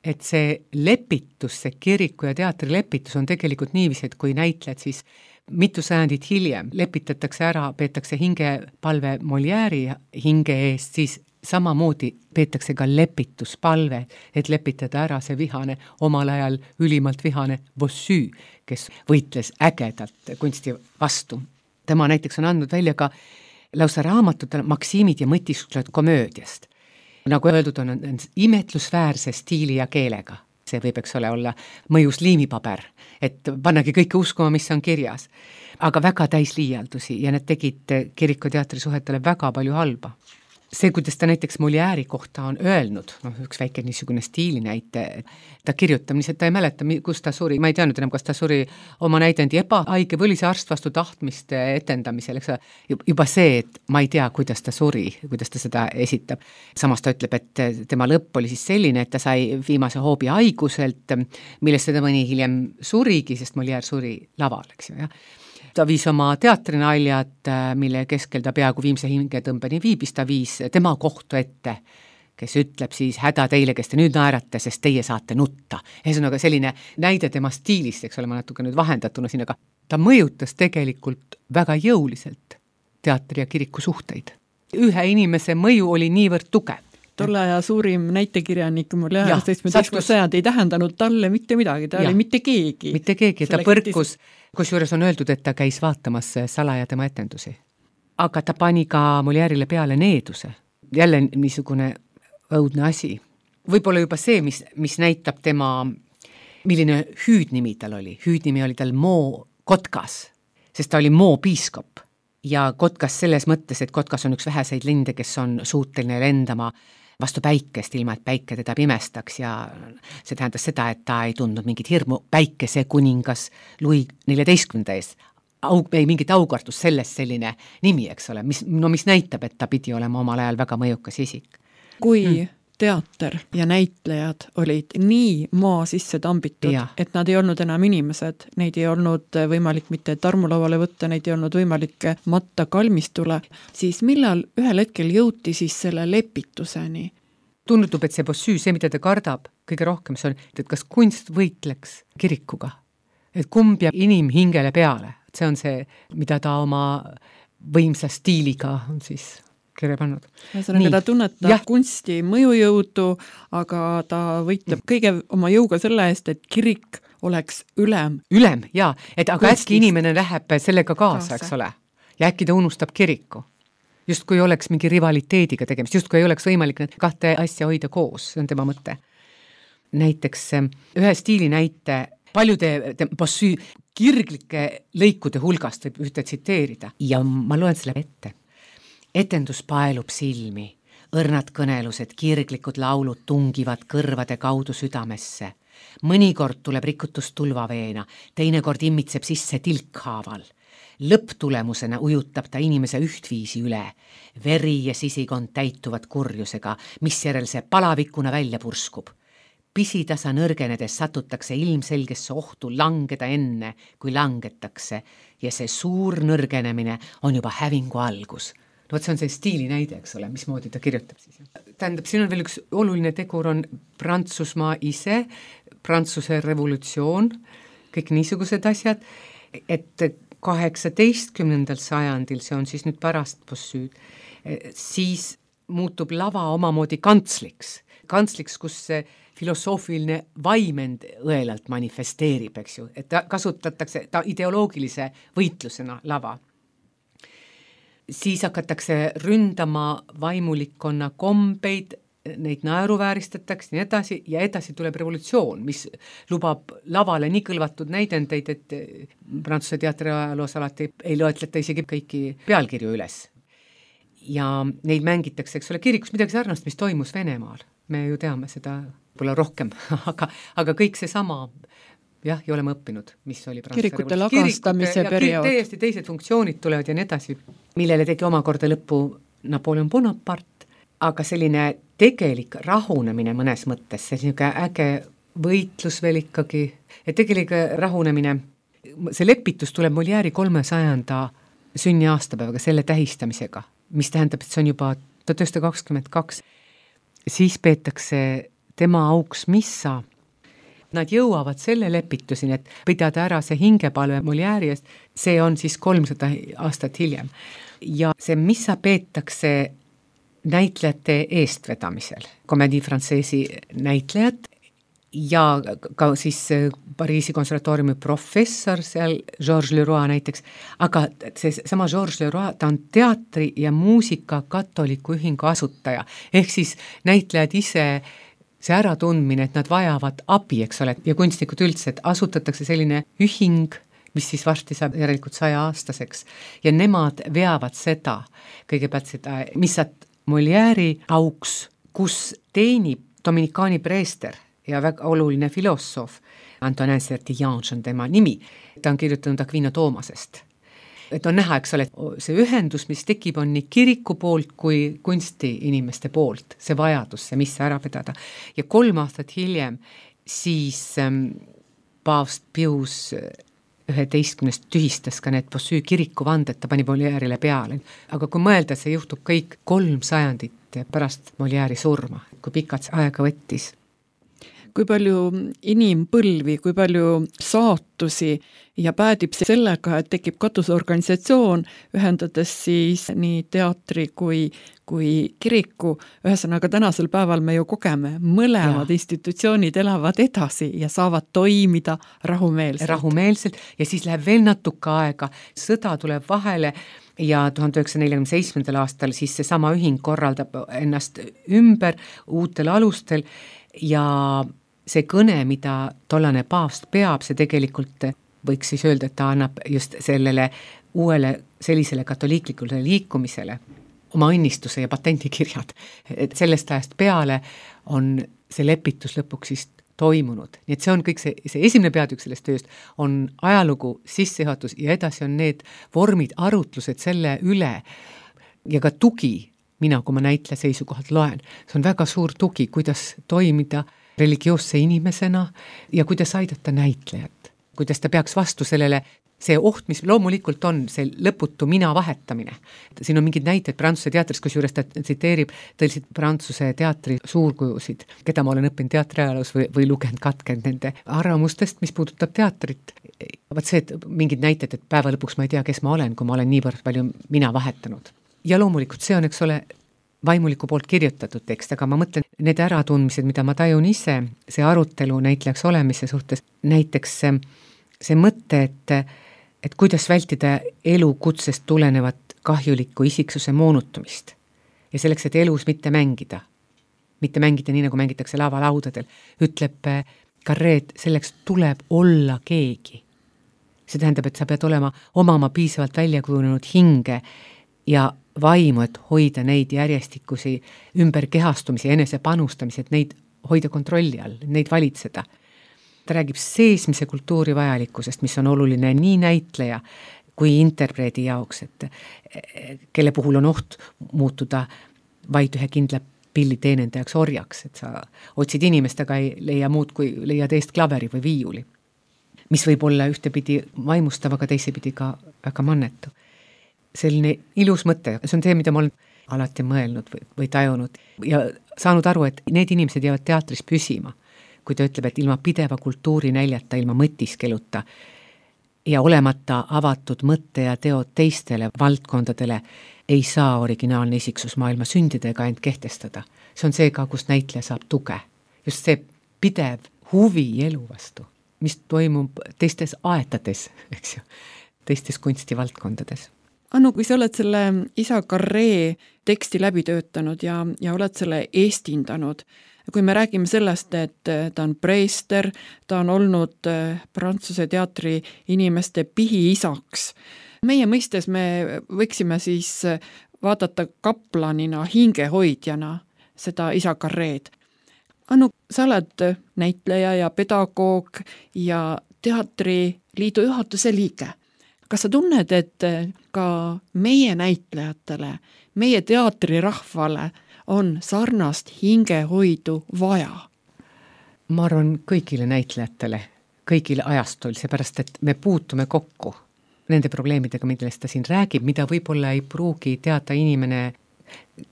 et see lepitus, see kiriku ja teatri lepitus on tegelikult niiviisi, et kui näitled siis mitu sajandit hiljem lepitatakse ära, peetakse hingepalve Molière'i hinge eest, siis samamoodi peetakse ka lepituspalve, et lepitada ära see vihane, omal ajal ülimalt vihane Bossu, kes võitles ägedalt kunsti vastu. Tema näiteks on andnud välja ka lausa raamatutele Maksimid ja mõtisklused komöödiast. Nagu öeldud on, on imetlusväärse stiili ja keelega. See võib, eks ole, olla mõjus liimipaber, et pannagi kõike uskuma, mis on kirjas. Aga väga täis liialdusi ja need tegid kiriku teatri suhetele väga palju halba. See, kuidas ta näiteks Molière'i kohta on öelnud, noh, üks väike niisugune stiilinäite, ta kirjutab, lihtsalt ta ei mäleta, kus ta suri, ma ei teadnud enam, kas ta suri oma näidendi ebahaige või oli see arst vastu tahtmist etendamisel, eks juba see, et ma ei tea, kuidas ta suri, kuidas ta seda esitab. Samas ta ütleb, et tema lõpp oli siis selline, et ta sai viimase hoobi haiguselt, millest seda mõni hiljem surigi, sest Molière suri laval, eks ju, jah. Ta viis oma teatrinaljad, mille keskel ta peaaegu viimse hingetõmbeni viibis, ta viis tema kohtu ette, kes ütleb siis häda teile, kes te nüüd naerate, sest teie saate nutta. Ühesõnaga selline näide tema stiilist, eks ole, ma natuke nüüd vahendatuna siin, aga ta mõjutas tegelikult väga jõuliselt teatri ja kiriku suhteid. Ühe inimese mõju oli niivõrd tugev. Tolle aja suurim näitekirjanik Molière seitsmeteistkümnenda sajand ei tähendanud talle mitte midagi, ta ja. oli mitte keegi. Mitte keegi, ta põrkus, kusjuures on öeldud, et ta käis vaatamas salaja tema etendusi. Aga ta pani ka Molière'ile peale needuse. Jälle niisugune õudne asi. Võib-olla juba see, mis, mis näitab tema, milline hüüdnimi tal oli. Hüüdnimi oli tal Moo Kotkas, sest ta oli Moo piiskop. Ja Kotkas selles mõttes, et Kotkas on üks väheseid linde, kes on suuteline lendama vastu päikest, ilma et päike teda pimestaks ja see tähendas seda, et ta ei tundnud mingit hirmu päikese kuningas Louis neljateistkümnenda ees. Aug, ei mingit aukartust sellest selline nimi, eks ole, mis, no mis näitab, et ta pidi olema omal ajal väga mõjukas isik. Kui hmm. teater ja näitlejad olid nii maa sisse tambitud, ja. et nad ei olnud enam inimesed, neid ei olnud võimalik mitte tarmulavale võtta, neid ei olnud võimalik matta kalmistule, siis millal ühel hetkel jõuti siis selle lepituseni? Tundub, et see Bossu, see, mida ta kardab, kõige rohkem see on, et kas kunst võitleks kirikuga, et kumb jääb inimhingele peale, see on see, mida ta oma võimsa stiiliga on siis kirja pannud. Ühesõnaga, ta tunnetab ja. kunsti mõjujõudu, aga ta võitleb kõige oma jõuga selle eest, et kirik oleks ülem. Ülem, jaa, et aga Kunstist. Äkki inimene läheb sellega kaasa, kaasa, eks ole, ja äkki ta unustab kiriku. Just kui oleks mingi rivaliteediga tegemist, just kui ei oleks võimalik need kahte asja hoida koos, see on tema mõte. Näiteks ühe stiili näite paljude Bossu kirglike lõikude hulgast võib ühte tsiteerida ja ma loen selle ette. Etendus paelub silmi, õrnad kõnelused, kirglikud laulud tungivad kõrvade kaudu südamesse. Mõnikord tuleb rikutus tulvaveena, teinekord immitseb sisse tilkhaaval. Lõpptulemusena ujutab ta inimese ühtviisi üle. Veri ja sisikond täituvad kurjusega, mis järel see palavikuna välja purskub. Pisitasa nõrgenedes satutakse ilmselgesse ohtu langeda enne, kui langetakse ja see suur nõrgenemine on juba hävingu algus. No, see on see stiili näide, eks ole, mismoodi ta kirjutab siis. Tähendab, siin on veel üks oluline tegur on Prantsusmaa ise, Prantsuse revolutsioon, kõik niisugused asjad, et kaheksateistkümnendal sajandil, see on siis nüüd pärast Bossud, siis muutub lava omamoodi kantsliks. Kantsliks, kus see filosoofiline vaimend õelalt manifesteerib, eks ju, et ta kasutatakse ta ideoloogilise võitlusena lava. Siis hakatakse ründama vaimulikkonna kombeid, neid naeruvääristatakse nii edasi ja edasi tuleb revolutsioon, mis lubab lavale nii kõlvatud näidendeid, et Prantsuse teatriajaloos alati ei loetleta isegi kõiki pealkirju üles. Ja neid mängitakse, eks ole, kirikus midagi sarnast, mis toimus Venemaal. Me ju teame seda pole rohkem, aga, aga kõik see sama jah, ja oleme õppinud, mis oli kirikute lagastamise periood. Täiesti teised funktsioonid tulevad ja nii edasi, millele tegi omakorda lõppu Napoleon Bonaparte, aga selline tegelik rahunemine mõnes mõttes, selline äge võitlus veel ikkagi, et tegelik rahunemine, see lepitus tuleb Molière'i kolmesajanda sünni aastapäevaga, selle tähistamisega, mis tähendab, et see on juba tuhat üheksasada kakskümmend kaks, siis peetakse tema auks missa. Nad jõuavad selle lepituseni, et pidada ära see hingepalve Molière'i eest, see on siis kolmsada aastat hiljem. Ja see missa peetakse näitlejate eestvedamisel, Comédie Française'i näitlejad ja ka siis Pariisi konservatooriumi professor seal, Georges Leroy näiteks, aga see sama Georges Leroy, ta on teatri ja muusika katoliku ühingu asutaja, ehk siis näitlejad ise see äratundmine, et nad vajavad abi, eks ole, ja kunstnikud üldse, et asutatakse selline ühing, mis siis varsti saab järelikult saja aastaseks ja nemad veavad seda, kõigepealt seda missat Molière'i auks, kus teenib dominikaani preester ja väga oluline filosoof, Antonin Sertillange on tema nimi, ta on kirjutanud Aquino Toomasest. Et on näha, eks ole, see ühendus, mis tekib, on nii kiriku poolt kui kunsti inimeste poolt, see vajadus, see mis ära pidada. Ja kolm aastat hiljem siis ähm, paavst Pius üheteistkümnest tühistas ka need Bossuet kiriku vanded, ta pani Molière'ile peale. Aga kui mõelda, see juhtub kõik kolm sajandit pärast Molière'i surma, kui pikalt see aega võttis. Kui palju inimpõlvi, kui palju saatusi ja päädib sellega, et tekib katusorganisatsioon, ühendades siis nii teatri kui, kui kiriku. Ühesõnaga tänasel päeval me ju kogeme, mõlemad ja. Institutsioonid elavad edasi ja saavad toimida rahumeelselt. Rahumeelselt ja siis läheb veel natuke aega, sõda tuleb vahele ja tuhande üheksasaja nelikümmend seitsmendal aastal siis see sama ühing korraldab ennast ümber uutel alustel ja see kõne, mida tollane paavst peab, see tegelikult võiks siis öelda, et ta annab just sellele uuele sellisele katoliiklikule liikumisele oma õnnistuse ja patendikirjad. Et sellest ajast peale on see lepitus lõpuks siis toimunud. Nii et see on kõik see, see esimene peatükk sellest tööst on ajalugu, sissejuhatus ja edasi on need vormid, arutlused selle üle ja ka tugi, mina kui ma näitleja seisukohalt loen, see on väga suur tugi, kuidas toimida religioosse inimesena ja kuidas aidata näitlejat, kuidas ta peaks vastu sellele, see oht, mis loomulikult on, see lõputu mina vahetamine. Siin on mingid näited Prantsuse teatris, kus juures ta tsiteerib tõeliselt Prantsuse teatri suurkujusid, keda ma olen õppinud teatriajaloos või, või lugenud katkenud nende arvamustest, mis puudutab teatrit. Vaat see, et mingid näited, et päeva lõpuks ma ei tea, kes ma olen, kui ma olen niivõrd palju mina vahetanud. Ja loomulikult see on, eks ole, vaimuliku poolt kirjutatud tekst, aga ma mõtlen need äratundmised, mida ma tajun ise, see arutelu näitlejaks olemise suhtes, näiteks see, see mõte, et, et kuidas vältida elukutsest tulenevat kahjulikku isiksuse moonutumist ja selleks, et elus mitte mängida, mitte mängida nii, nagu mängitakse lavalaudadel, ütleb Carré, selleks tuleb olla keegi. See tähendab, et sa pead olema omama piisavalt väljakujunenud hinge ja vaimu, et hoida neid järjestikusi ümberkehastumisi, enese panustamisi, et neid hoida kontrolli all, neid valitseda. Ta räägib seesmise kultuuri vajalikkusest, mis on oluline nii näitleja kui interpreedi jaoks, et kelle puhul on oht muutuda vaid ühe kindla pilli teenendajaks orjaks, et sa otsid inimest, aga ei leia muud kui leia teist klaveri või viiuli, mis võib olla ühtepidi vaimustav, aga teisepidi ka väga mannetu. Selline ilus mõte, see on see, mida ma olen alati mõelnud või, või tajunud ja saanud aru, et need inimesed jäävad teatris püsima, kui ta ütleb, et ilma pideva kultuuri näljata, ilma mõtiskeluta ja olemata avatud mõtte ja teod teistele valdkondadele ei saa originaalne isiksus maailma sündida ega end kehtestada. See on see ka, kus näitleja saab tuge. Just see pidev huvi elu vastu, mis toimub teistes aetades, eks ju, teistes kunstivaldkondades. Anu, kui sa oled selle isa Carré teksti läbi töötanud ja, ja oled selle eestindanud, kui me räägime sellest, et ta on preester, ta on olnud Prantsuse teatri inimeste pihiisaks, meie mõistes me võiksime siis vaadata kaplanina, hingehoidjana seda isa Carréd. Anu, sa oled näitleja ja pedagoog ja teatriliidu juhatuse liige. Kas sa tunned, et ka meie näitlejatele, meie teatrirahvale on sarnast hingehoidu vaja? Ma arvan kõigile näitlejatele, kõigile ajastul, seepärast, et me puutume kokku nende probleemidega, millest ta siin räägib, mida võib-olla ei pruugi teada inimene,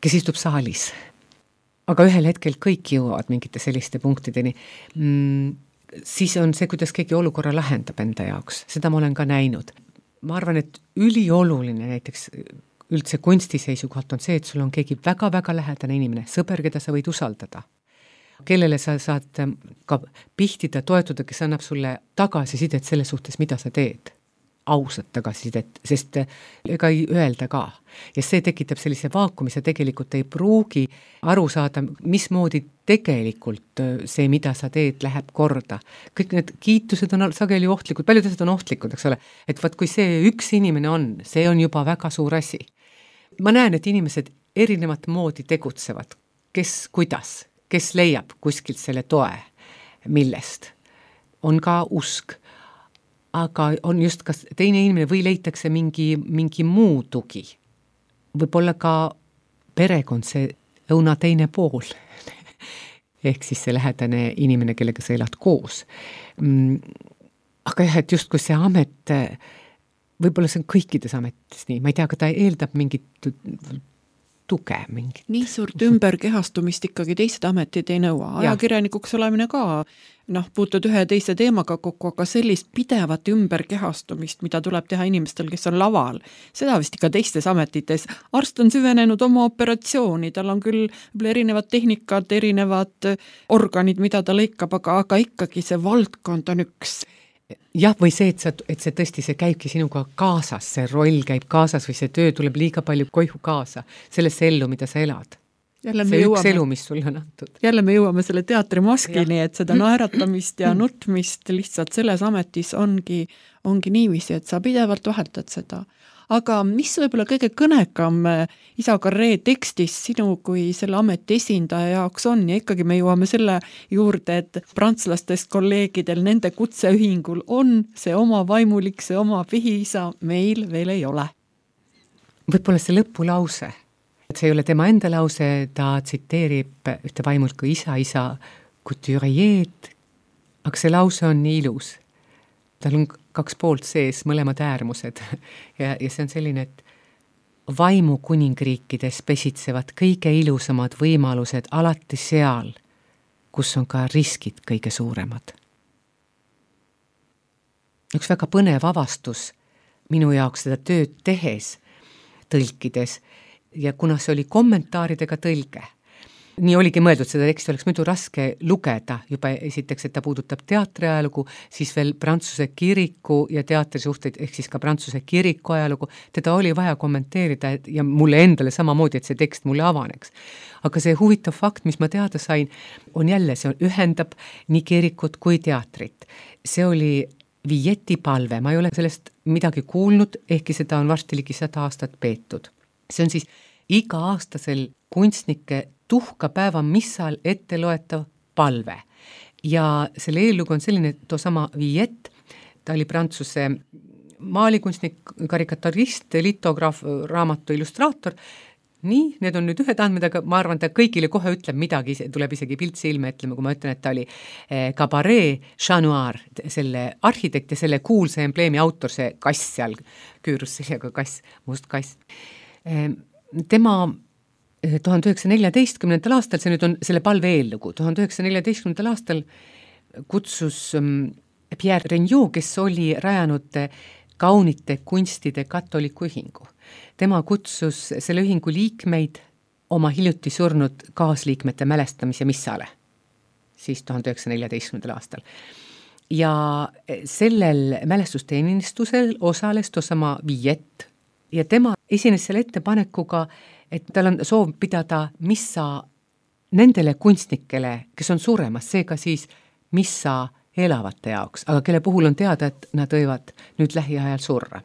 kes istub saalis. aga ühel hetkel kõik jõuavad mingite selliste punktideni, mm, siis on see, kuidas keegi olukorra lahendab enda jaoks, seda ma olen ka näinud. Ma arvan, et ülioluline näiteks üldse kunsti seisukohalt on see, et sul on keegi väga-väga lähedane inimene, sõber, keda sa võid usaldada, kellele sa saad ka pihtida, toetuda, kes annab sulle tagasisidet selle suhtes, mida sa teed. Ausat tagasisidet, sest ega ei öelda ka. Ja see tekitab sellise vaakumi, sa tegelikult ei pruugi aru saada, mismoodi tegelikult see, mida sa teed, läheb korda. Kõik need kiitused on sageli ohtlikud, paljud asjad on ohtlikud, eks ole. Et vaat kui see üks inimene on, see on juba väga suur asi. Ma näen, et inimesed erinevat moodi tegutsevad, kes kuidas, kes leiab kuskilt selle toe, millest. On ka usk, aga on just kas teine inimene või leitakse mingi, mingi muu tugi. Võib-olla ka perekond, see õuna teine pool. Ehk siis see lähedane inimene, kellega sa elad koos. Aga jah, et just kui see amet, võib-olla see on kõikides ametis nii, ma ei tea, aga ta eeldab mingit tuge mingi. Nii suurt ümberkehastumist ikkagi teised ametid ei nõua. Ajakirjanikuks olemine ka, noh, puutud ühe teise teemaga kokku, aga sellist pidevat ümberkehastumist, mida tuleb teha inimestel, kes on laval. Seda vist ikka teistes ametites. Arst on süvenenud oma operatsiooni, tal on küll erinevad tehnikad, erinevad organid, mida ta lõikab, aga, aga ikkagi see valdkond on üks. Jah, või see, et, sa, et see tõesti, see käibki sinuga kaasas, see roll käib kaasas või see töö tuleb liiga palju koihu kaasa, sellesse ellu, mida sa elad. Jälle see jõuame, üks elu, mis sulle on antud. Jälle me jõuame selle teatrimaskini, et seda naeratamist ja nutmist lihtsalt selles ametis ongi, ongi niiviisi, et sa pidevalt vahetad seda. Aga mis võib-olla kõige kõnekam Isa Carré tekstis sinu kui selle ameti esindaja jaoks on, ja ikkagi me jõuame selle juurde, et prantslastest kolleegidel nende kutseühingul on see oma vaimulik, see oma pihiisa, meil veel ei ole. Võib-olla see lõpulause, et see ei ole tema enda lause, ta tsiteerib ühte vaimulku isa, isa couturier, aga see lause on nii ilus. Tal on kaks poolt sees, mõlemad äärmused ja, ja see on selline, et vaimu kuningriikides pesitsevad kõige ilusamad võimalused alati seal, kus on ka riskid kõige suuremad. Üks väga põnev avastus minu jaoks seda tööd tehes, tõlkides, ja kuna see oli kommentaaridega tõlge, nii oligi mõeldud, seda teksti oleks muidu raske lugeda, juba esiteks, et ta puudutab teatriajalugu, siis veel Prantsuse kiriku ja teatri suhteid, ehk siis ka Prantsuse kiriku ajalugu, teda oli vaja kommenteerida ja mulle endale samamoodi, et see tekst mulle avaneks. Aga see huvitav fakt, mis ma teada sain, on jälle, see ühendab nii kirikut kui teatrit. See oli Villeti palve, ma ei ole sellest midagi kuulnud, ehkki seda on varsti ligi sada aastat peetud. See on siis iga aastasel kunstnike tuhkapäeva missal ette loetav palve. Ja selle eellugu on selline, et toosama Villet, ta oli Prantsuse maalikunstnik, karikaturist, litograaf, raamatu illustraator. Nii, need on nüüd ühed andmed, aga ma arvan, ta kõigile kohe ütleb midagi, tuleb isegi pilt silme, ütleme, kui ma ütlen, et ta oli Cabaret Chat Noir, selle arhitekt ja selle kuulse embleemi autor, see kass seal, küürus sellega kass, must kass. Tema tuhande üheksasaja neljateistkümnendal aastal, see nüüd on selle palve eellugu, tuhande üheksasaja neljateistkümnendal aastal kutsus Pierre Regnault, kes oli rajanud kaunite kunstide katoliku ühingu. Tema kutsus selle ühingu liikmeid oma hiljuti surnud kaasliikmete mälestamise missale, siis tuhande üheksasaja neljateistkümnendal aastal. Ja sellel mälestusteenistusel osales toosama Villet ja tema esines selle ettepanekuga, et tal on soov pidada missa nendele kunstnikele, kes on suremas, seega siis missa elavate jaoks, aga kelle puhul on teada, et nad võivad nüüd lähiajal surra.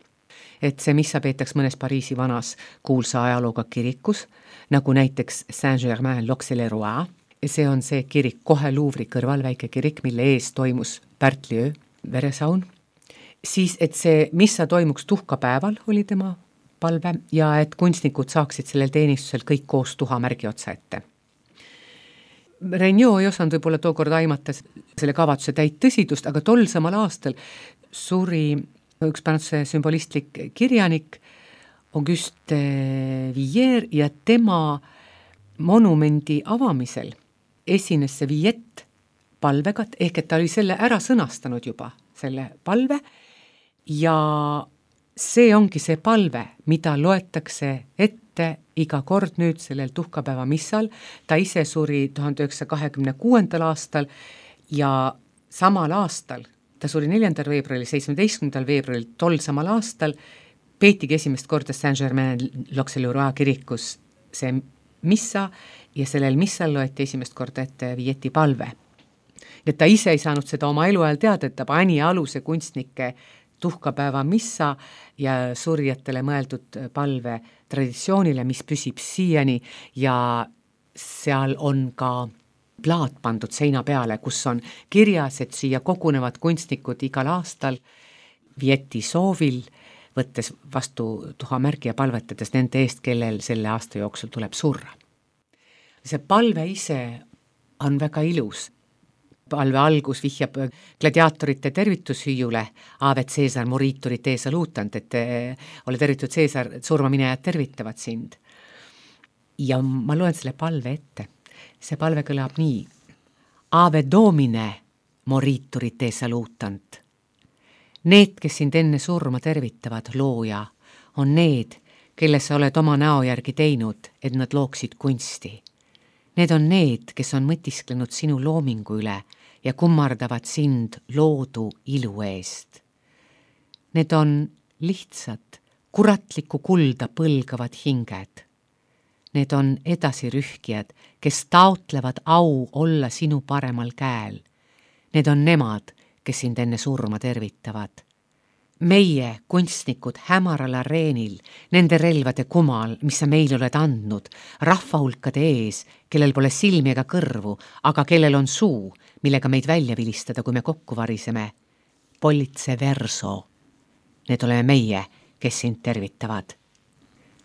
Et see missa peetaks mõnes Pariisi vanas kuulsa ajalooga kirikus, nagu näiteks Saint-Germain-l'Auxerrois. See on see kirik kohe Louvre'i kõrval, väike kirik, mille ees toimus Pärtliöö veresaun. Siis, et see missa toimuks tuhkapäeval, oli tema palve, ja et kunstnikud saaksid sellel teenistusel kõik koos tuhamärgi otsa ette. Regnault ei osanud võib-olla tookord aimata selle kavatsuse täit tõsidust, aga tol samal aastal suri üks Prantsuse sümbolistlik kirjanik Auguste Villiers ja tema monumendi avamisel esines see Viet palvega, ehk et ta oli selle ära sõnastanud juba, selle palve, ja see ongi see palve, mida loetakse ette iga kord nüüd sellel tuhkapäeva missal. Ta ise suri tuhande üheksasaja kahekümne kuuendal aastal ja samal aastal, ta suri neljandal veebruaril, seitsmeteistkümnendal veebruaril, tol samal aastal peetigi esimest korda Saint-Germain-l'Auxerrois kirikus see missa ja sellel missal loeti esimest korda ette Vieti palve. Et ta ise ei saanud seda oma eluajal teada, et ta pani aluse kunstnike tuhkapäeva missa ja surjatele mõeldud palve traditsioonile, mis püsib siiani ja seal on ka plaat pandud seina peale, kus on kirjas, et siia kogunevad kunstnikud igal aastal Vieti soovil, võttes vastu tuhamärgi ja palvetades nende eest, kellel selle aasta jooksul tuleb surra. See palve ise on väga ilus. Palve algus vihjab gladiaatorite tervitushüüjule, Ave Caesar moriturit te salutant, et ole tervitud Caesar, surmaminejad tervitavad sind. Ja ma loen selle palve ette. See palve kõlab nii. Ave Domine moriturit te salutant. Need, kes sind enne surma tervitavad, looja, on need, kelle sa oled oma näo järgi teinud, et nad looksid kunsti. Need on need, kes on mõtisklenud sinu loomingu üle ja kummardavad sind loodu ilu eest. Need on lihtsad, kuratlikku kulda põlgavad hinged. Need on edasirühkijad, kes taotlevad au olla sinu paremal käel. Need on nemad, kes sind enne surma tervitavad. Meie, kunstnikud, hämaral areenil, nende relvade kumal, mis sa meil oled andnud, rahvahulkade ees, kellel pole silmi ega kõrvu, aga kellel on suu, millega meid välja vilistada, kui me kokku variseme. Politse verso. Need oleme meie, kes sind tervitavad.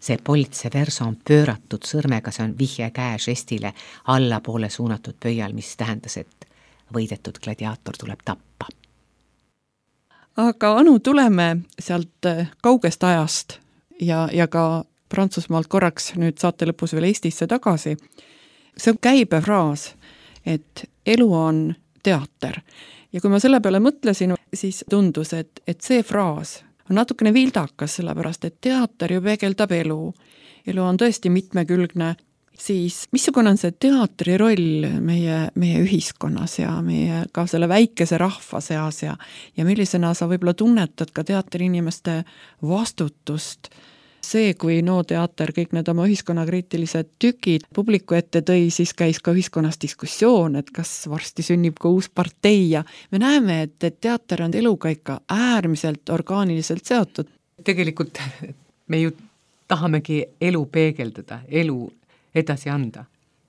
See politse verso on pööratud sõrmega, see on vihje käe žestile allapoole suunatud pöial, mis tähendas, et võidetud gladiaator tuleb tappa. Aga Anu, tuleme sealt kaugest ajast ja, ja ka Prantsusmaalt korraks nüüd saate lõpus veel Eestisse tagasi. See on käibefraas, et elu on teater. Ja kui ma selle peale mõtlesin, siis tundus, et, et see fraas on natukene vildakas, sellepärast, et teater ju peegeldab elu. Elu on tõesti mitmekülgne. Siis missugune on see teatri roll meie, meie ühiskonnas ja meie ka selle väikese rahva seas ja, ja millisena sa võib-olla tunnetad ka teatri inimeste vastutust? See, kui No Teater kõik need oma ühiskonnakriitilised tükid publiku ette tõi, siis käis ka ühiskonnas diskussioon, et kas varsti sünnib ka uus partei ja me näeme, et, et teater on eluga ikka äärmiselt orgaaniliselt seotud. Tegelikult me ju tahamegi elu peegeldada, elu edasi anda,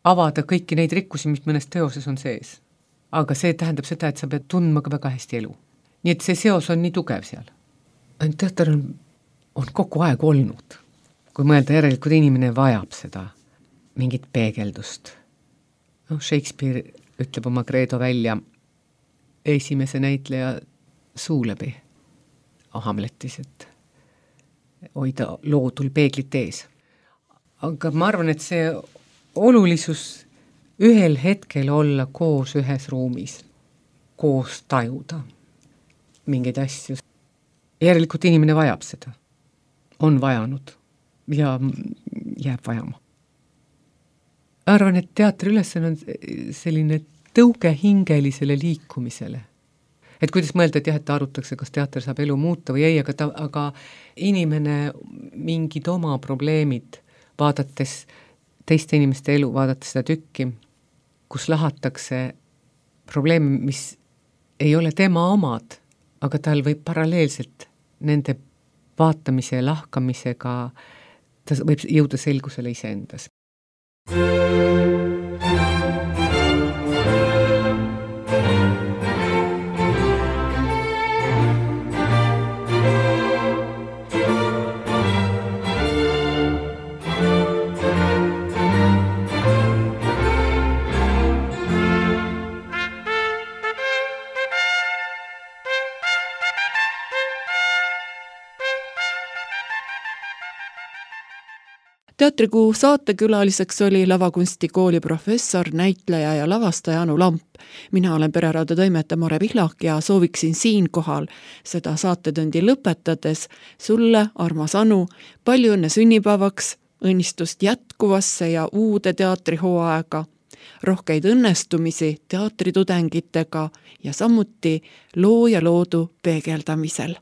avada kõiki neid rikkusi, mis mõnes teoses on sees. Aga see tähendab seda, et sa pead tundma ka väga hästi elu. Nii et see seos on nii tugev seal. Teater on, on kogu aeg olnud. Kui mõelda järelikult, inimene vajab seda mingit peegeldust. No, Shakespeare ütleb oma kreedo välja esimese näitleja suu läbi Hamletis, et hoida loodul peeglit ees. Aga ma arvan, et see olulisus ühel hetkel olla koos ühes ruumis, koos tajuda mingeid asju. Järelikult inimene vajab seda, on vajanud ja jääb vajama. Arvan, et teatri ülesanne on selline tõuge hingelisele liikumisele. Et kuidas mõelda, et jah, et arutakse, kas teater saab elu muuta või ei, aga, ta, aga inimene mingid oma probleemid vaadates teiste inimeste elu, vaadates seda tükki, kus lahatakse probleeme, mis ei ole tema omad, aga tal võib paralleelselt nende vaatamise ja lahkamisega, ta võib jõuda selgusele iseendas. Teatrikuu saatekülaliseks oli lavakunstikooli professor, näitleja ja lavastaja Anu Lamp. Mina olen Pereradio toimetaja Mare Pihlak ja sooviksin siinkohal seda saatetundi lõpetades sulle, armas Anu, palju õnne sünnipäevaks, õnnistust jätkuvasse ja uude teatrihooaega, rohkeid õnnestumisi teatritudengitega ja samuti loo ja loodu peegeldamisel.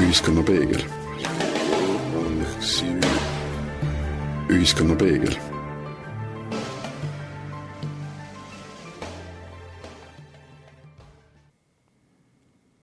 Ühiskonna peegel. Ühiskonna peegel.